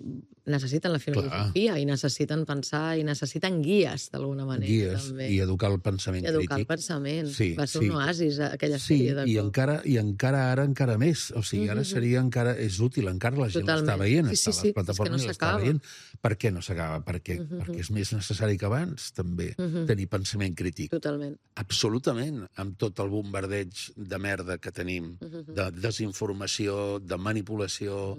necessiten la filosofia Clar. I necessiten pensar i necessiten guies, d'alguna manera. Guies també. I educar el pensament I educar crític. el pensament. Sí, va ser sí. un oasis, aquella sí, sèrie de i cop. encara, i encara ara encara més. O sigui, ara seria encara... És útil, encara la gent Totalment. l'està veient, Sí, sí, està a sí, les plataformes és que no i l'està s'acaba. veient. Per què no s'acaba? Perquè, Mhm. perquè és més necessari que abans, també, tenir pensament crític. Totalment. Absolutament, amb tot el bombardeig de merda que tenim, de desinformació, de manipulació,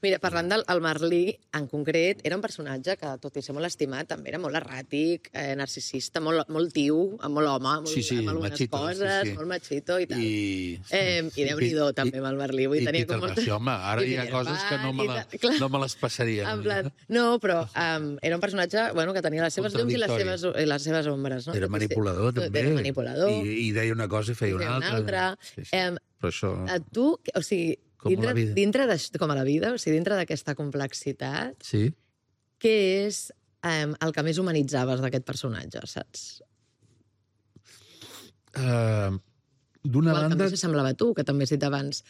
Mira, parlant del el Merlí, en concret, era un personatge que, tot i ser molt estimat, també era molt erràtic, eh, narcisista, molt, molt tiu, molt home, molt, Sí, sí, amb algunes machito, coses, sí, sí. molt machito i tal. I, Eh, i Déu-n'hi-do, també, amb el Merlí. Vull I tenir Peter com Pan, sí, home, ara i hi ha Peter coses que no Pan me, i la, tal. Clar. no me les passaria. En plan, no, però um, era un personatge bueno, que tenia les seves llums i les Contradictori. seves, i les seves ombres. No? Era manipulador, també. Era manipulador. I, I deia una cosa i feia i una altra. altra. Sí, sí. Em, Però això... a tu, o sigui, Com a dintre, la vida. dintre de, com a la vida, o sigui, dintre d'aquesta complexitat, Sí. què és um, el que més humanitzaves d'aquest personatge, saps? Uh, D'una O el que banda... més s'assemblava a tu, que també has dit abans.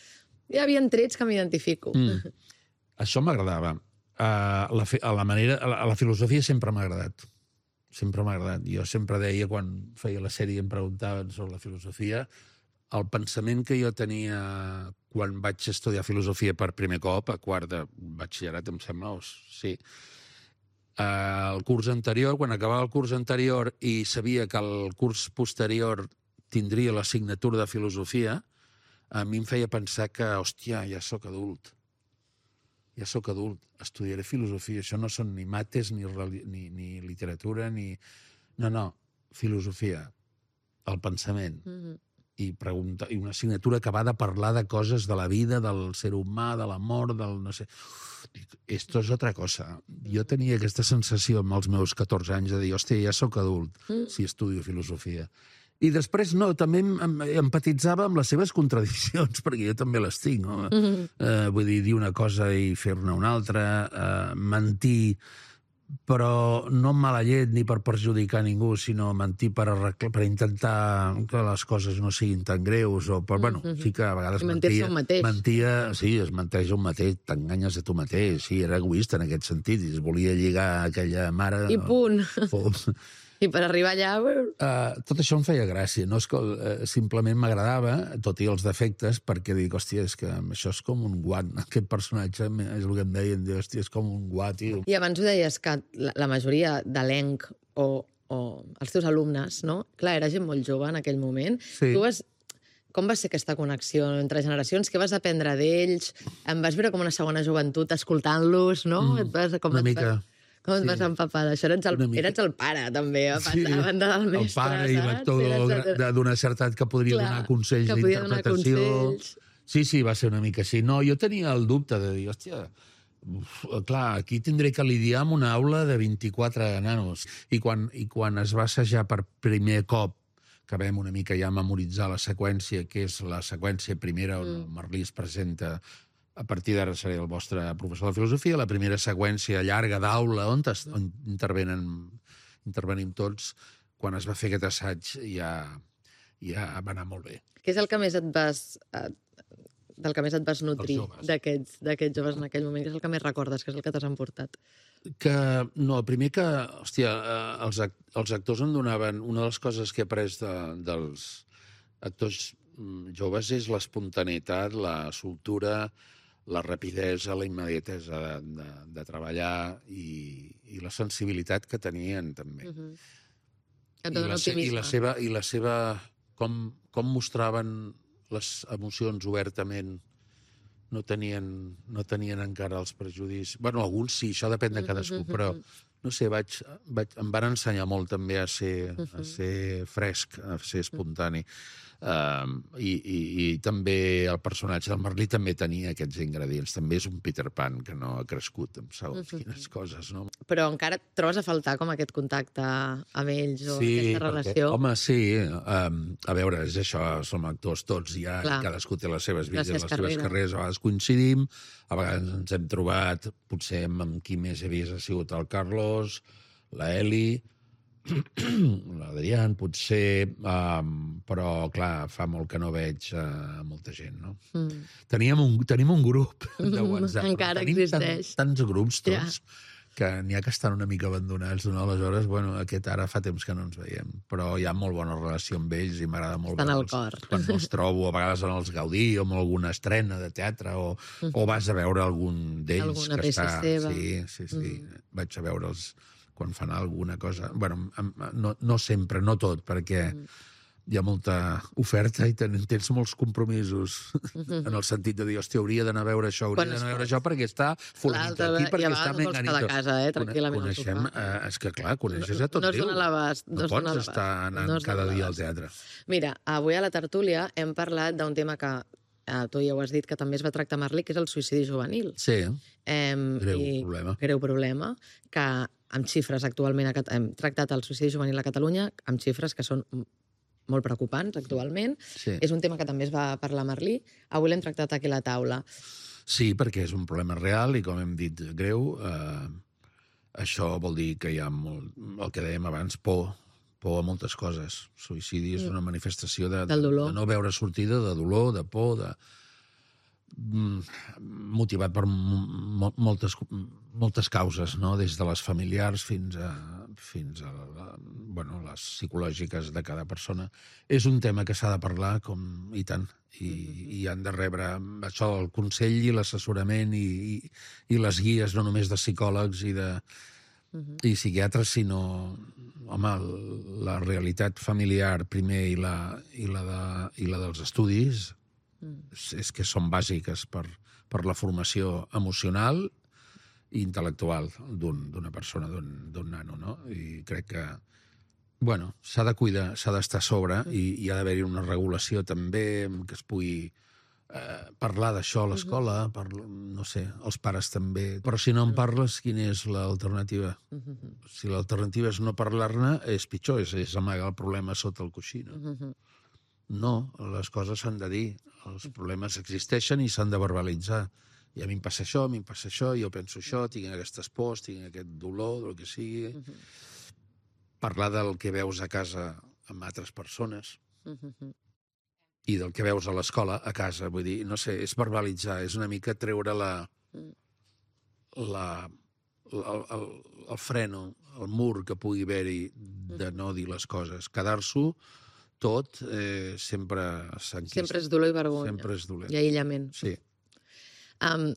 Hi havia trets que m'identifico. Mm. Això m'agradava. Uh, la, fe- a la, manera, a la, a la filosofia sempre m'ha agradat. Sempre m'ha agradat. Jo sempre deia, quan feia la sèrie i em preguntaven sobre la filosofia, el pensament que jo tenia quan vaig estudiar filosofia per primer cop, a quart de batxillerat, em sembla, o sí, uh, el curs anterior, quan acabava el curs anterior i sabia que el curs posterior tindria l'assignatura de filosofia, a mi em feia pensar que, hòstia, ja sóc adult. Ja sóc adult, estudiaré filosofia. Això no són ni mates, ni, reli- ni, ni literatura, ni... No, no, filosofia, el pensament. Mm. I, pregunta, I una assignatura que va de parlar de coses de la vida, del ser humà, de l'amor, del no sé... Dic, esto és otra cosa. Jo tenia aquesta sensació amb els meus catorze anys de dir, hòstia, ja sóc adult si estudio filosofia. I després, no, també em, em, empatitzava amb les seves contradiccions, perquè jo també les tinc, no? Mm-hmm. Eh, vull dir, dir una cosa i fer-ne una altra, eh, mentir, però no amb mala llet ni per perjudicar ningú, sinó mentir per, arreglar, per intentar que les coses no siguin tan greus, o per, bueno, sí que a vegades I mentir-se mentia, un mateix. mentia, sí, es menteix un mateix, t'enganyes a tu mateix, sí, era egoista en aquest sentit, i es volia lligar aquella mare... I punt. Pum. I per arribar allà... Uh, tot això em feia gràcia, no és que uh, simplement m'agradava, tot i els defectes, perquè dic, hòstia, és que això és com un guat, aquest personatge és el que em deien, dic, hòstia, és com un guat, tio. I abans ho deies que la, la majoria d'elenc o, o els teus alumnes, no? Clar, era gent molt jove en aquell moment. Sí. Tu vas... Com va ser aquesta connexió entre generacions? Què vas aprendre d'ells? Em vas veure com una segona joventut escoltant-los, no? Mm, et vas, com una et mica. Vas... Com et Sí. vas empapar d'això? Eres el, Una mica. eres el pare, també, a Sí, banda, a banda del mestre, el pare i saps? l'actor Eres el- de- d'una certa edat que podria Clar, donar consells que podia donar d'interpretació. consells. Sí, sí, va ser una mica així. No, jo tenia el dubte de dir, hòstia, uf, clar, aquí tindré que lidiar amb una aula de vint-i-quatre nanos. I quan, i quan es va assajar per primer cop, que vam una mica ja memoritzar la seqüència, que és la seqüència primera on el Merlí es presenta, a partir d'ara seré el vostre professor de filosofia, la primera seqüència llarga d'aula on, es, on intervenen, intervenim tots, quan es va fer aquest assaig ja, ja va anar molt bé. Què és el que més et vas... eh, del que més et vas nutrir joves. d'aquests d'aquests joves en aquell moment? Què és el que més recordes? Què és el que t'has emportat? Que, no, el primer que, hòstia, eh, els, act els actors em donaven... Una de les coses que he après de, dels actors mm, joves és l'espontaneïtat, la soltura, la rapidesa, la immediatesa de, de, de treballar i, i la sensibilitat que tenien, també. Uh -huh. Et I, dona la, se- i optimisme. la seva... I la seva com, com mostraven les emocions obertament, no tenien, no tenien encara els prejudicis. Bueno, alguns sí, això depèn de cadascú, però no sé, vaig, vaig, em van ensenyar molt també a ser, a ser fresc, a ser espontani. Uh, i, i, I també el personatge del Merlí també tenia aquests ingredients. També és un Peter Pan que no ha crescut amb segons quines coses, no? Però encara et trobes a faltar com aquest contacte amb ells o Sí, aquesta perquè, relació? home, sí. Um, a veure, és això, som actors tots ja, Clar. i cadascú té les seves vides, Les les, seves seves carreres. carreres. A vegades coincidim, a vegades ens hem trobat, potser amb, amb qui més he vist ha sigut el Carlos, la Eli, l'Adrián, potser, um, però, clar, fa molt que no veig uh, molta gent, no? Mm. Teníem un, tenim un grup de WhatsApp. Encara tenim existeix. Tan, tants grups tots, Ja. que n'hi ha que estan una mica abandonats, no? Aleshores, bueno, aquest ara fa temps que no ens veiem, però hi ha molt bona relació amb ells i m'agrada molt Estan al veure'ls. cor. Quan els trobo, a vegades en els Gaudí o en alguna estrena de teatre, o, mm. o vas a veure algun d'ells Alguna que peça està... seva. Sí, sí, sí. Mm. Vaig a veure'ls quan fan alguna cosa. Bueno, no, no sempre, no tot, perquè mm. hi ha molta oferta i ten, tens molts compromisos en el sentit de dir, hòstia, hauria d'anar a veure això, hauria d'anar a veure això perquè està fulanito aquí, perquè està menganito. I a vegades vols quedar a casa, eh, tranquil·lament al Coneixem, sofà. eh, és que clar, coneixes a tot No es Déu. dona l'abast. No pots estar anant cada dia al teatre. Mira, avui a la tertúlia hem parlat d'un tema que eh, tu ja ho has dit, que també es va tractar a Merlí, que és el suïcidi juvenil. Sí, Eh, greu i- problema. Greu problema, que amb xifres actualment a Cat- hem tractat el suïcidi juvenil a Catalunya, amb xifres que són molt preocupants actualment. Sí. És un tema que també es va parlar a Merlí. Avui l'hem tractat aquí a la taula. Sí, perquè és un problema real i, com hem dit, greu. Eh, això vol dir que hi ha molt, el que dèiem abans, por, por a moltes coses. Suïcidi és una manifestació de, Del dolor. de no veure sortida, de dolor, de por, de mm, motivat per mo moltes, moltes causes, no? Des de les familiars fins a, fins a la, bueno, les psicològiques de cada persona. És un tema que s'ha de parlar, com i tant, i, i han de rebre això, el consell i l'assessorament i, i, i les guies, no només de psicòlegs i de i psiquiatres, sinó, home, la realitat familiar primer i la, i la, de, i la dels estudis és, és que són bàsiques per, per la formació emocional i intel·lectual d'una un, persona, d'un nano, no? I crec que, bueno, s'ha de cuidar, s'ha d'estar a sobre i hi ha d'haver-hi una regulació també que es pugui eh, parlar d'això a l'escola, no sé, els pares també. Però si no en parles, quina és l'alternativa? Si l'alternativa és no parlar-ne, és pitjor, és, és amagar el problema sota el coixí, no? No, les coses s'han de dir. Els problemes existeixen i s'han de verbalitzar. I a mi em passa això, a mi em passa això, jo penso això, tinc aquestes pors, tinc aquest dolor, del que sigui. Parlar del que veus a casa amb altres persones i del que veus a l'escola, a casa, vull dir, no sé, és verbalitzar, és una mica treure la... la el, el, el freno, el mur que pugui haver-hi de no dir les coses. Quedar-s'ho tot eh, sempre s'enquista. Sempre és dolor i vergonya. Sempre és dolent. I aïllament. Sí. Um,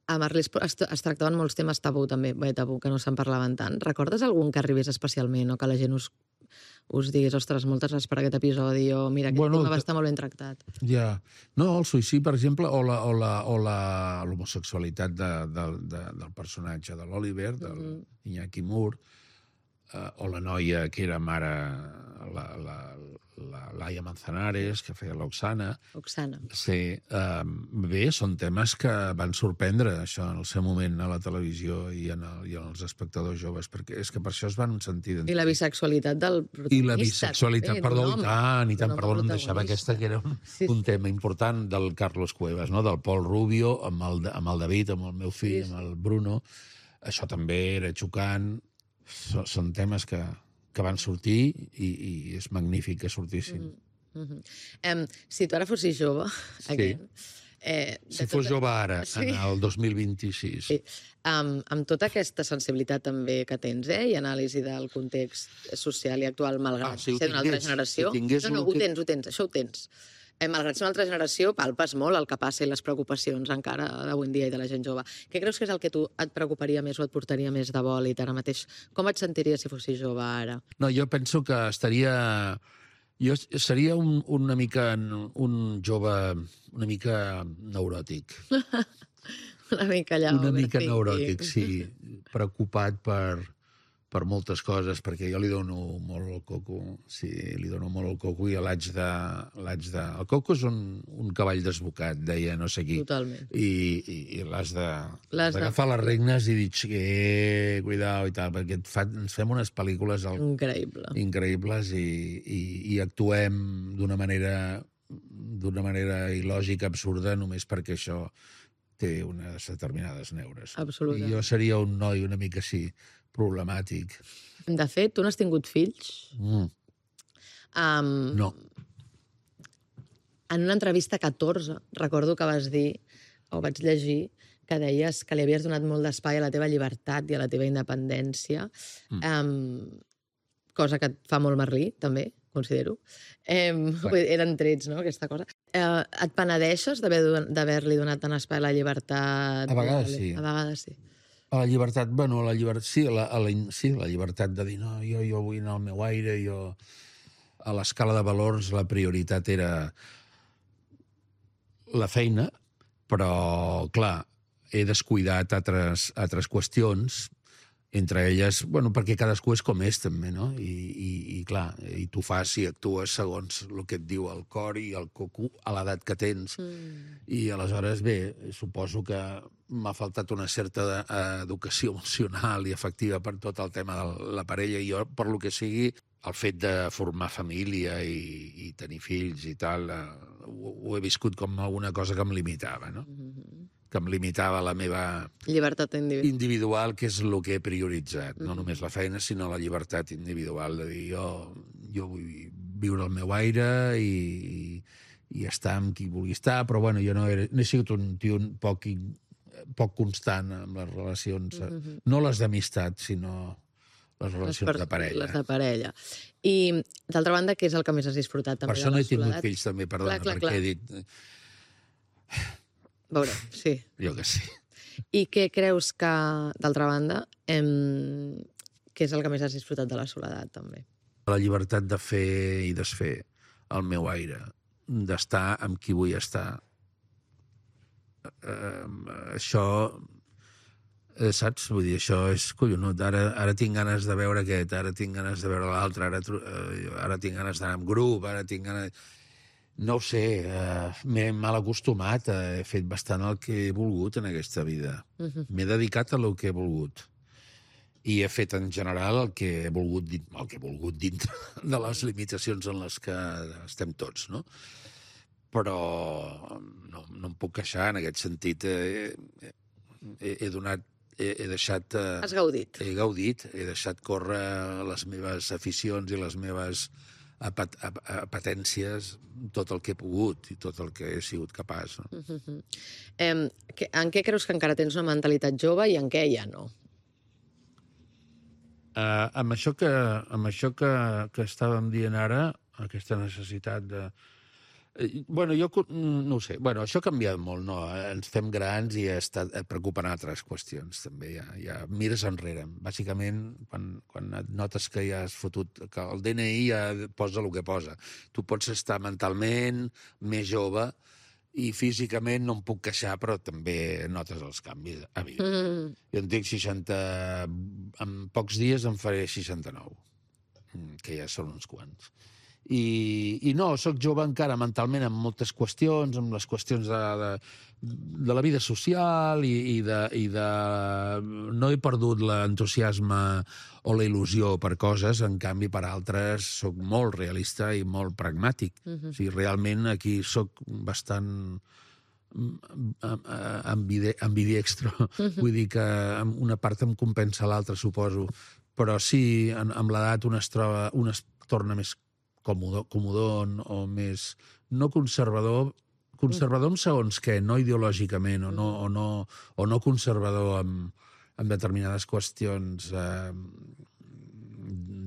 a Merlí es, es, es tractaven molts temes tabú, també, bé, tabú, que no se'n parlaven tant. Recordes algun que arribés especialment o que la gent us, us digués, ostres, moltes gràcies per aquest episodi, o mira, aquest Bueno, tema va estar molt ben tractat? Ja. No, el suïcidi, per exemple, o la, o la, o la, l'homosexualitat de, de, de, del personatge de l'Oliver, del mm -hmm. Iñaki Moore, eh, o la noia que era mare, la, la, la Laia Manzanares, que feia l'Oxana. Oxana. Sí. Eh, bé, són temes que van sorprendre, això, en el seu moment a la televisió i en, el, i en els espectadors joves, perquè és que per això es van sentir... I la bisexualitat del protagonista. I la bisexualitat, també, perdó, d'un i home, tant, i tant, d'un perdó, home em deixava protagonista. aquesta, que era un, Sí, sí. un tema important del Carlos Cuevas, no? Del Pol Rubio, amb el, amb el David, amb el meu fill, Sí, sí. amb el Bruno. Això també era xocant. So, són temes que, que van sortir i, i és magnífic que sortissin. Mm. Mm-hmm. Um, si tu ara fossis jove, Sí. aquest, eh, de Si fos tot- jove ara, Sí. en el dos mil vint-i-sis. Sí. Amb, amb tota aquesta sensibilitat també que tens, eh, i anàlisi del context social i actual, malgrat Ah, si ho ser d'una altra tingués, generació... si tingués no, no, lo ho que- tens, ho tens, això ho tens. Eh, malgrat ser una altra generació, palpes molt el que passa i les preocupacions encara d'avui en dia i de la gent jove. Què creus que és el que tu et preocuparia més o et portaria més de bòlit ara mateix? Com et sentiries si fossis jove ara? No, jo penso que estaria... Jo seria un, una mica un jove una mica neuròtic. Una mica allà... Una mica overthinking. neuròtic, sí. Preocupat per, per moltes coses, perquè jo li dono molt el coco. Sí, li dono molt el coco i l'haig de... l'haig de... El coco és un, un cavall desbocat, deia no sé qui. Totalment. I, i, i l'has de... L'has de- d'agafar les regnes i dir, eh, cuidao i tal, perquè et fa, ens fem unes pel·lícules al, Increïble. increïbles i, i, i actuem d'una manera d'una manera il·lògica, absurda, només perquè això té unes determinades neures. Absolutament. I jo seria un noi una mica així, problemàtic. De fet, tu no has tingut fills? Mm, Um, no. En una entrevista catorze, recordo que vas dir, o vaig llegir, que deies que li havies donat molt d'espai a la teva llibertat i a la teva independència, mm. um, cosa que et fa molt Merlí, també, considero. Um, eren trets, no?, aquesta cosa. Uh, et penedeixes d'haver-li donat tant espai a la llibertat? A vegades sí. A vegades sí. A la llibertat, bueno, a la llibertat, sí, a la, a la, sí, la llibertat de dir, no, jo, jo vull anar al meu aire, jo... a l'escala de valors la prioritat era la feina, però, clar, he descuidat altres, altres qüestions, entre elles, bueno, perquè cadascú és com és, també, no? I, i, i clar, i tu fas i actues segons el que et diu el cor i el coco a l'edat que tens. Mm. I aleshores, bé, suposo que m'ha faltat una certa educació emocional i afectiva per tot el tema de la parella, i jo, per lo que sigui, el fet de formar família i, i tenir fills i tal, eh, ho, ho he viscut com alguna cosa que em limitava, no? Mm-hmm. Que em limitava la meva llibertat individual, individual que és el que he prioritzat. Mm-hmm. No només la feina, sinó la llibertat individual, de dir, jo, jo vull viure el meu aire i, i, i estar amb qui vulgui estar, però bueno, jo no he, no he sigut un tio poc, poc constant amb les relacions, mm-hmm. no les d'amistat, sinó les relacions les de parella. Les de parella. I, d'altra banda, què és el que més has disfrutat també per això de la no he tingut soledat? fills, també, perdona, clar, clar, perquè clar. he dit... Veurem, sí. Jo que sí. I què creus que, d'altra banda, em... què és el que més has disfrutat de la soledat, també? La llibertat de fer i desfer el meu aire, d'estar amb qui vull estar. Uh, això, eh, saps? Vull dir, això és collonut. Ara, ara tinc ganes de veure aquest, ara tinc ganes de veure l'altre, ara, uh, ara tinc ganes d'anar amb grup, ara tinc ganes... No ho sé, eh, m'he mal acostumat, he fet bastant el que he volgut en aquesta vida. Uh-huh. M'he dedicat a el que he volgut. I he fet en general el que he volgut, el que he volgut dintre de les limitacions en les que estem tots, no? Però no, no em puc queixar en aquest sentit. He, he, he donat, he, he deixat... Has gaudit. He gaudit, he deixat córrer les meves aficions i les meves... Apat, ap, apetències, tot el que he pogut i tot el que he sigut capaç. No? Uh-huh. eh, que, en què creus que encara tens una mentalitat jove i en què ja no? Uh, amb això, que, amb això que, que estàvem dient ara, aquesta necessitat de... Bueno, jo no ho sé. Bueno, això ha canviat molt, no? Ens fem grans i està preocupant altres qüestions, també. Ja, ja mires enrere. Bàsicament, quan, quan et notes que ja has fotut... que el D N I ja posa el que posa. Tu pots estar mentalment més jove i físicament no em puc queixar, però també notes els canvis, evident. Mm. Jo en tinc seixanta... En pocs dies em faré seixanta-nou, que ja són uns quants. I, i no, sóc jove encara mentalment en moltes qüestions, amb les qüestions de, de, de la vida social i, i, de, i de... No he perdut l'entusiasme o la il·lusió per coses, en canvi per altres sóc molt realista i molt pragmàtic. Uh-huh. O sigui, realment aquí sóc bastant ambidextro. Uh-huh. Vull dir que una part em compensa l'altra, suposo. Però sí, en, amb l'edat un es troba, un es torna més comodó, comodón o més... no conservador, conservador en segons què, no ideològicament, o no, o no, o no conservador en, en determinades qüestions eh,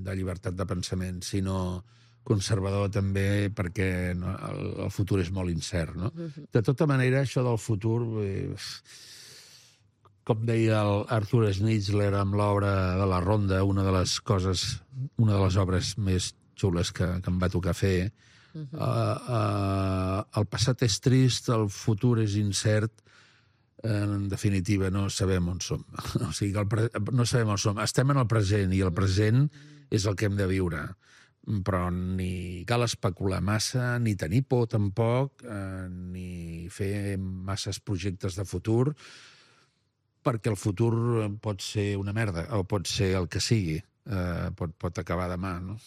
de llibertat de pensament, sinó conservador també perquè no, el, el futur és molt incert, no? De tota manera, això del futur... Eh, com deia el Arthur Schnitzler amb l'obra de La Ronda, una de les coses, una de les obres més xules que, que em va tocar fer. Uh-huh. uh, uh, el passat és trist, el futur és incert, en definitiva no sabem on som. O sigui, el pre... no sabem on som. Estem en el present i el present és el que hem de viure. Però ni cal especular massa, ni tenir por tampoc, eh, ni fer masses projectes de futur, perquè el futur pot ser una merda, o pot ser el que sigui, eh, pot, pot acabar demà, no?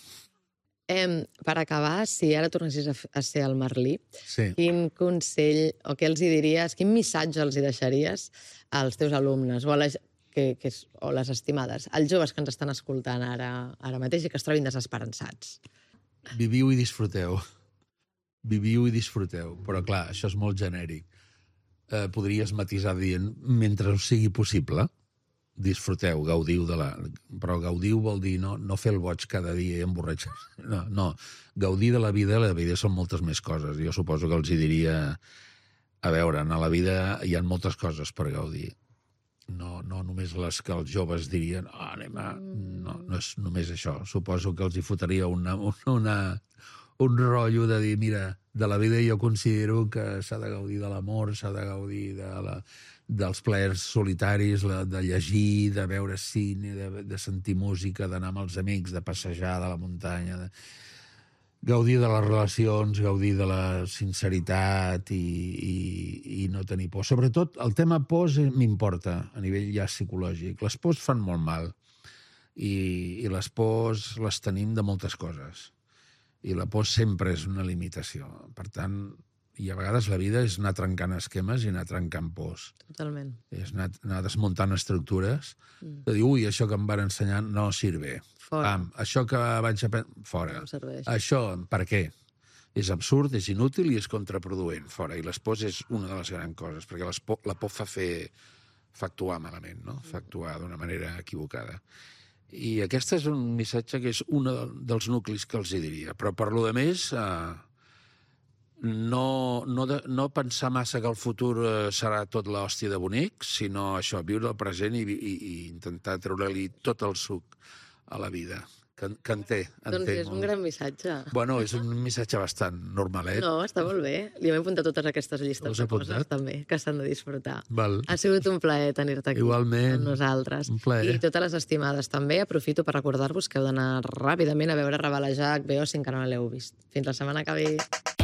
Eh, per acabar, si ara tornessis a, a ser el Merlí, sí. Quin consell, o què els hi diries, quin missatge els hi deixaries als teus alumnes, o, a les, que, que, o les estimades, als joves que ens estan escoltant ara, ara mateix i que es trobin desesperançats? Viviu i disfruteu. Viviu i disfruteu. Però, clar, això és molt genèric. Eh, podries matisar dient, mentre us sigui possible, disfruteu, gaudiu de la... Però gaudiu vol dir no, no fer el boig cada dia i emborratxar. No, no, gaudir de la vida, la vida són moltes més coses. Jo suposo que els hi diria, a veure, a la vida hi ha moltes coses per gaudir. no, no només les que els joves dirien oh, anem a... No, no és només això. Suposo que els hi fotria una, una, un rotllo de dir, mira, de la vida jo considero que s'ha de gaudir de l'amor, s'ha de gaudir de la, dels plaers solitaris, de llegir, de veure cine, de, de sentir música, d'anar amb els amics, de passejar de la muntanya, de... gaudir de les relacions, gaudir de la sinceritat i, i, i no tenir por. Sobretot, el tema pors m'importa a nivell ja psicològic. Les pors fan molt mal i, i les pors les tenim de moltes coses. I la por sempre és una limitació. Per tant, i a vegades la vida és anar trencant esquemes i anar trencant pors. Totalment. És anar, anar desmuntant estructures, Mm. de dir, ui, això que em van ensenyar no sirve. Fora. Pam, això que vaig aprendre, fora. No serveix. Això, per què? És absurd, és inútil i és contraproduent, fora. I les pors és una de les grans coses, perquè les por, la por fa fer, fa actuar malament, no? Fa actuar d'una manera equivocada. I aquest és un missatge que és un dels nuclis que els hi diria. Però per lo de més, eh, no, no, de, no pensar massa que el futur eh, serà tot l'hòstia de bonic, sinó això, viure el present i, i, i intentar treure-li tot el suc a la vida. Que, que en té, en Doncs té és un molt. gran missatge. Bueno, és un missatge bastant normalet. No, està molt bé. Li hem apuntat totes aquestes llistes Us de he apuntat? coses, també, que s'han de disfrutar. Val. Ha sigut un plaer tenir-te aquí Igualment. amb nosaltres. Un plaer. I totes les estimades també. Aprofito per recordar-vos que heu d'anar ràpidament a veure Rebel·lejar H B O si encara no l'heu vist. Fins la setmana que ve.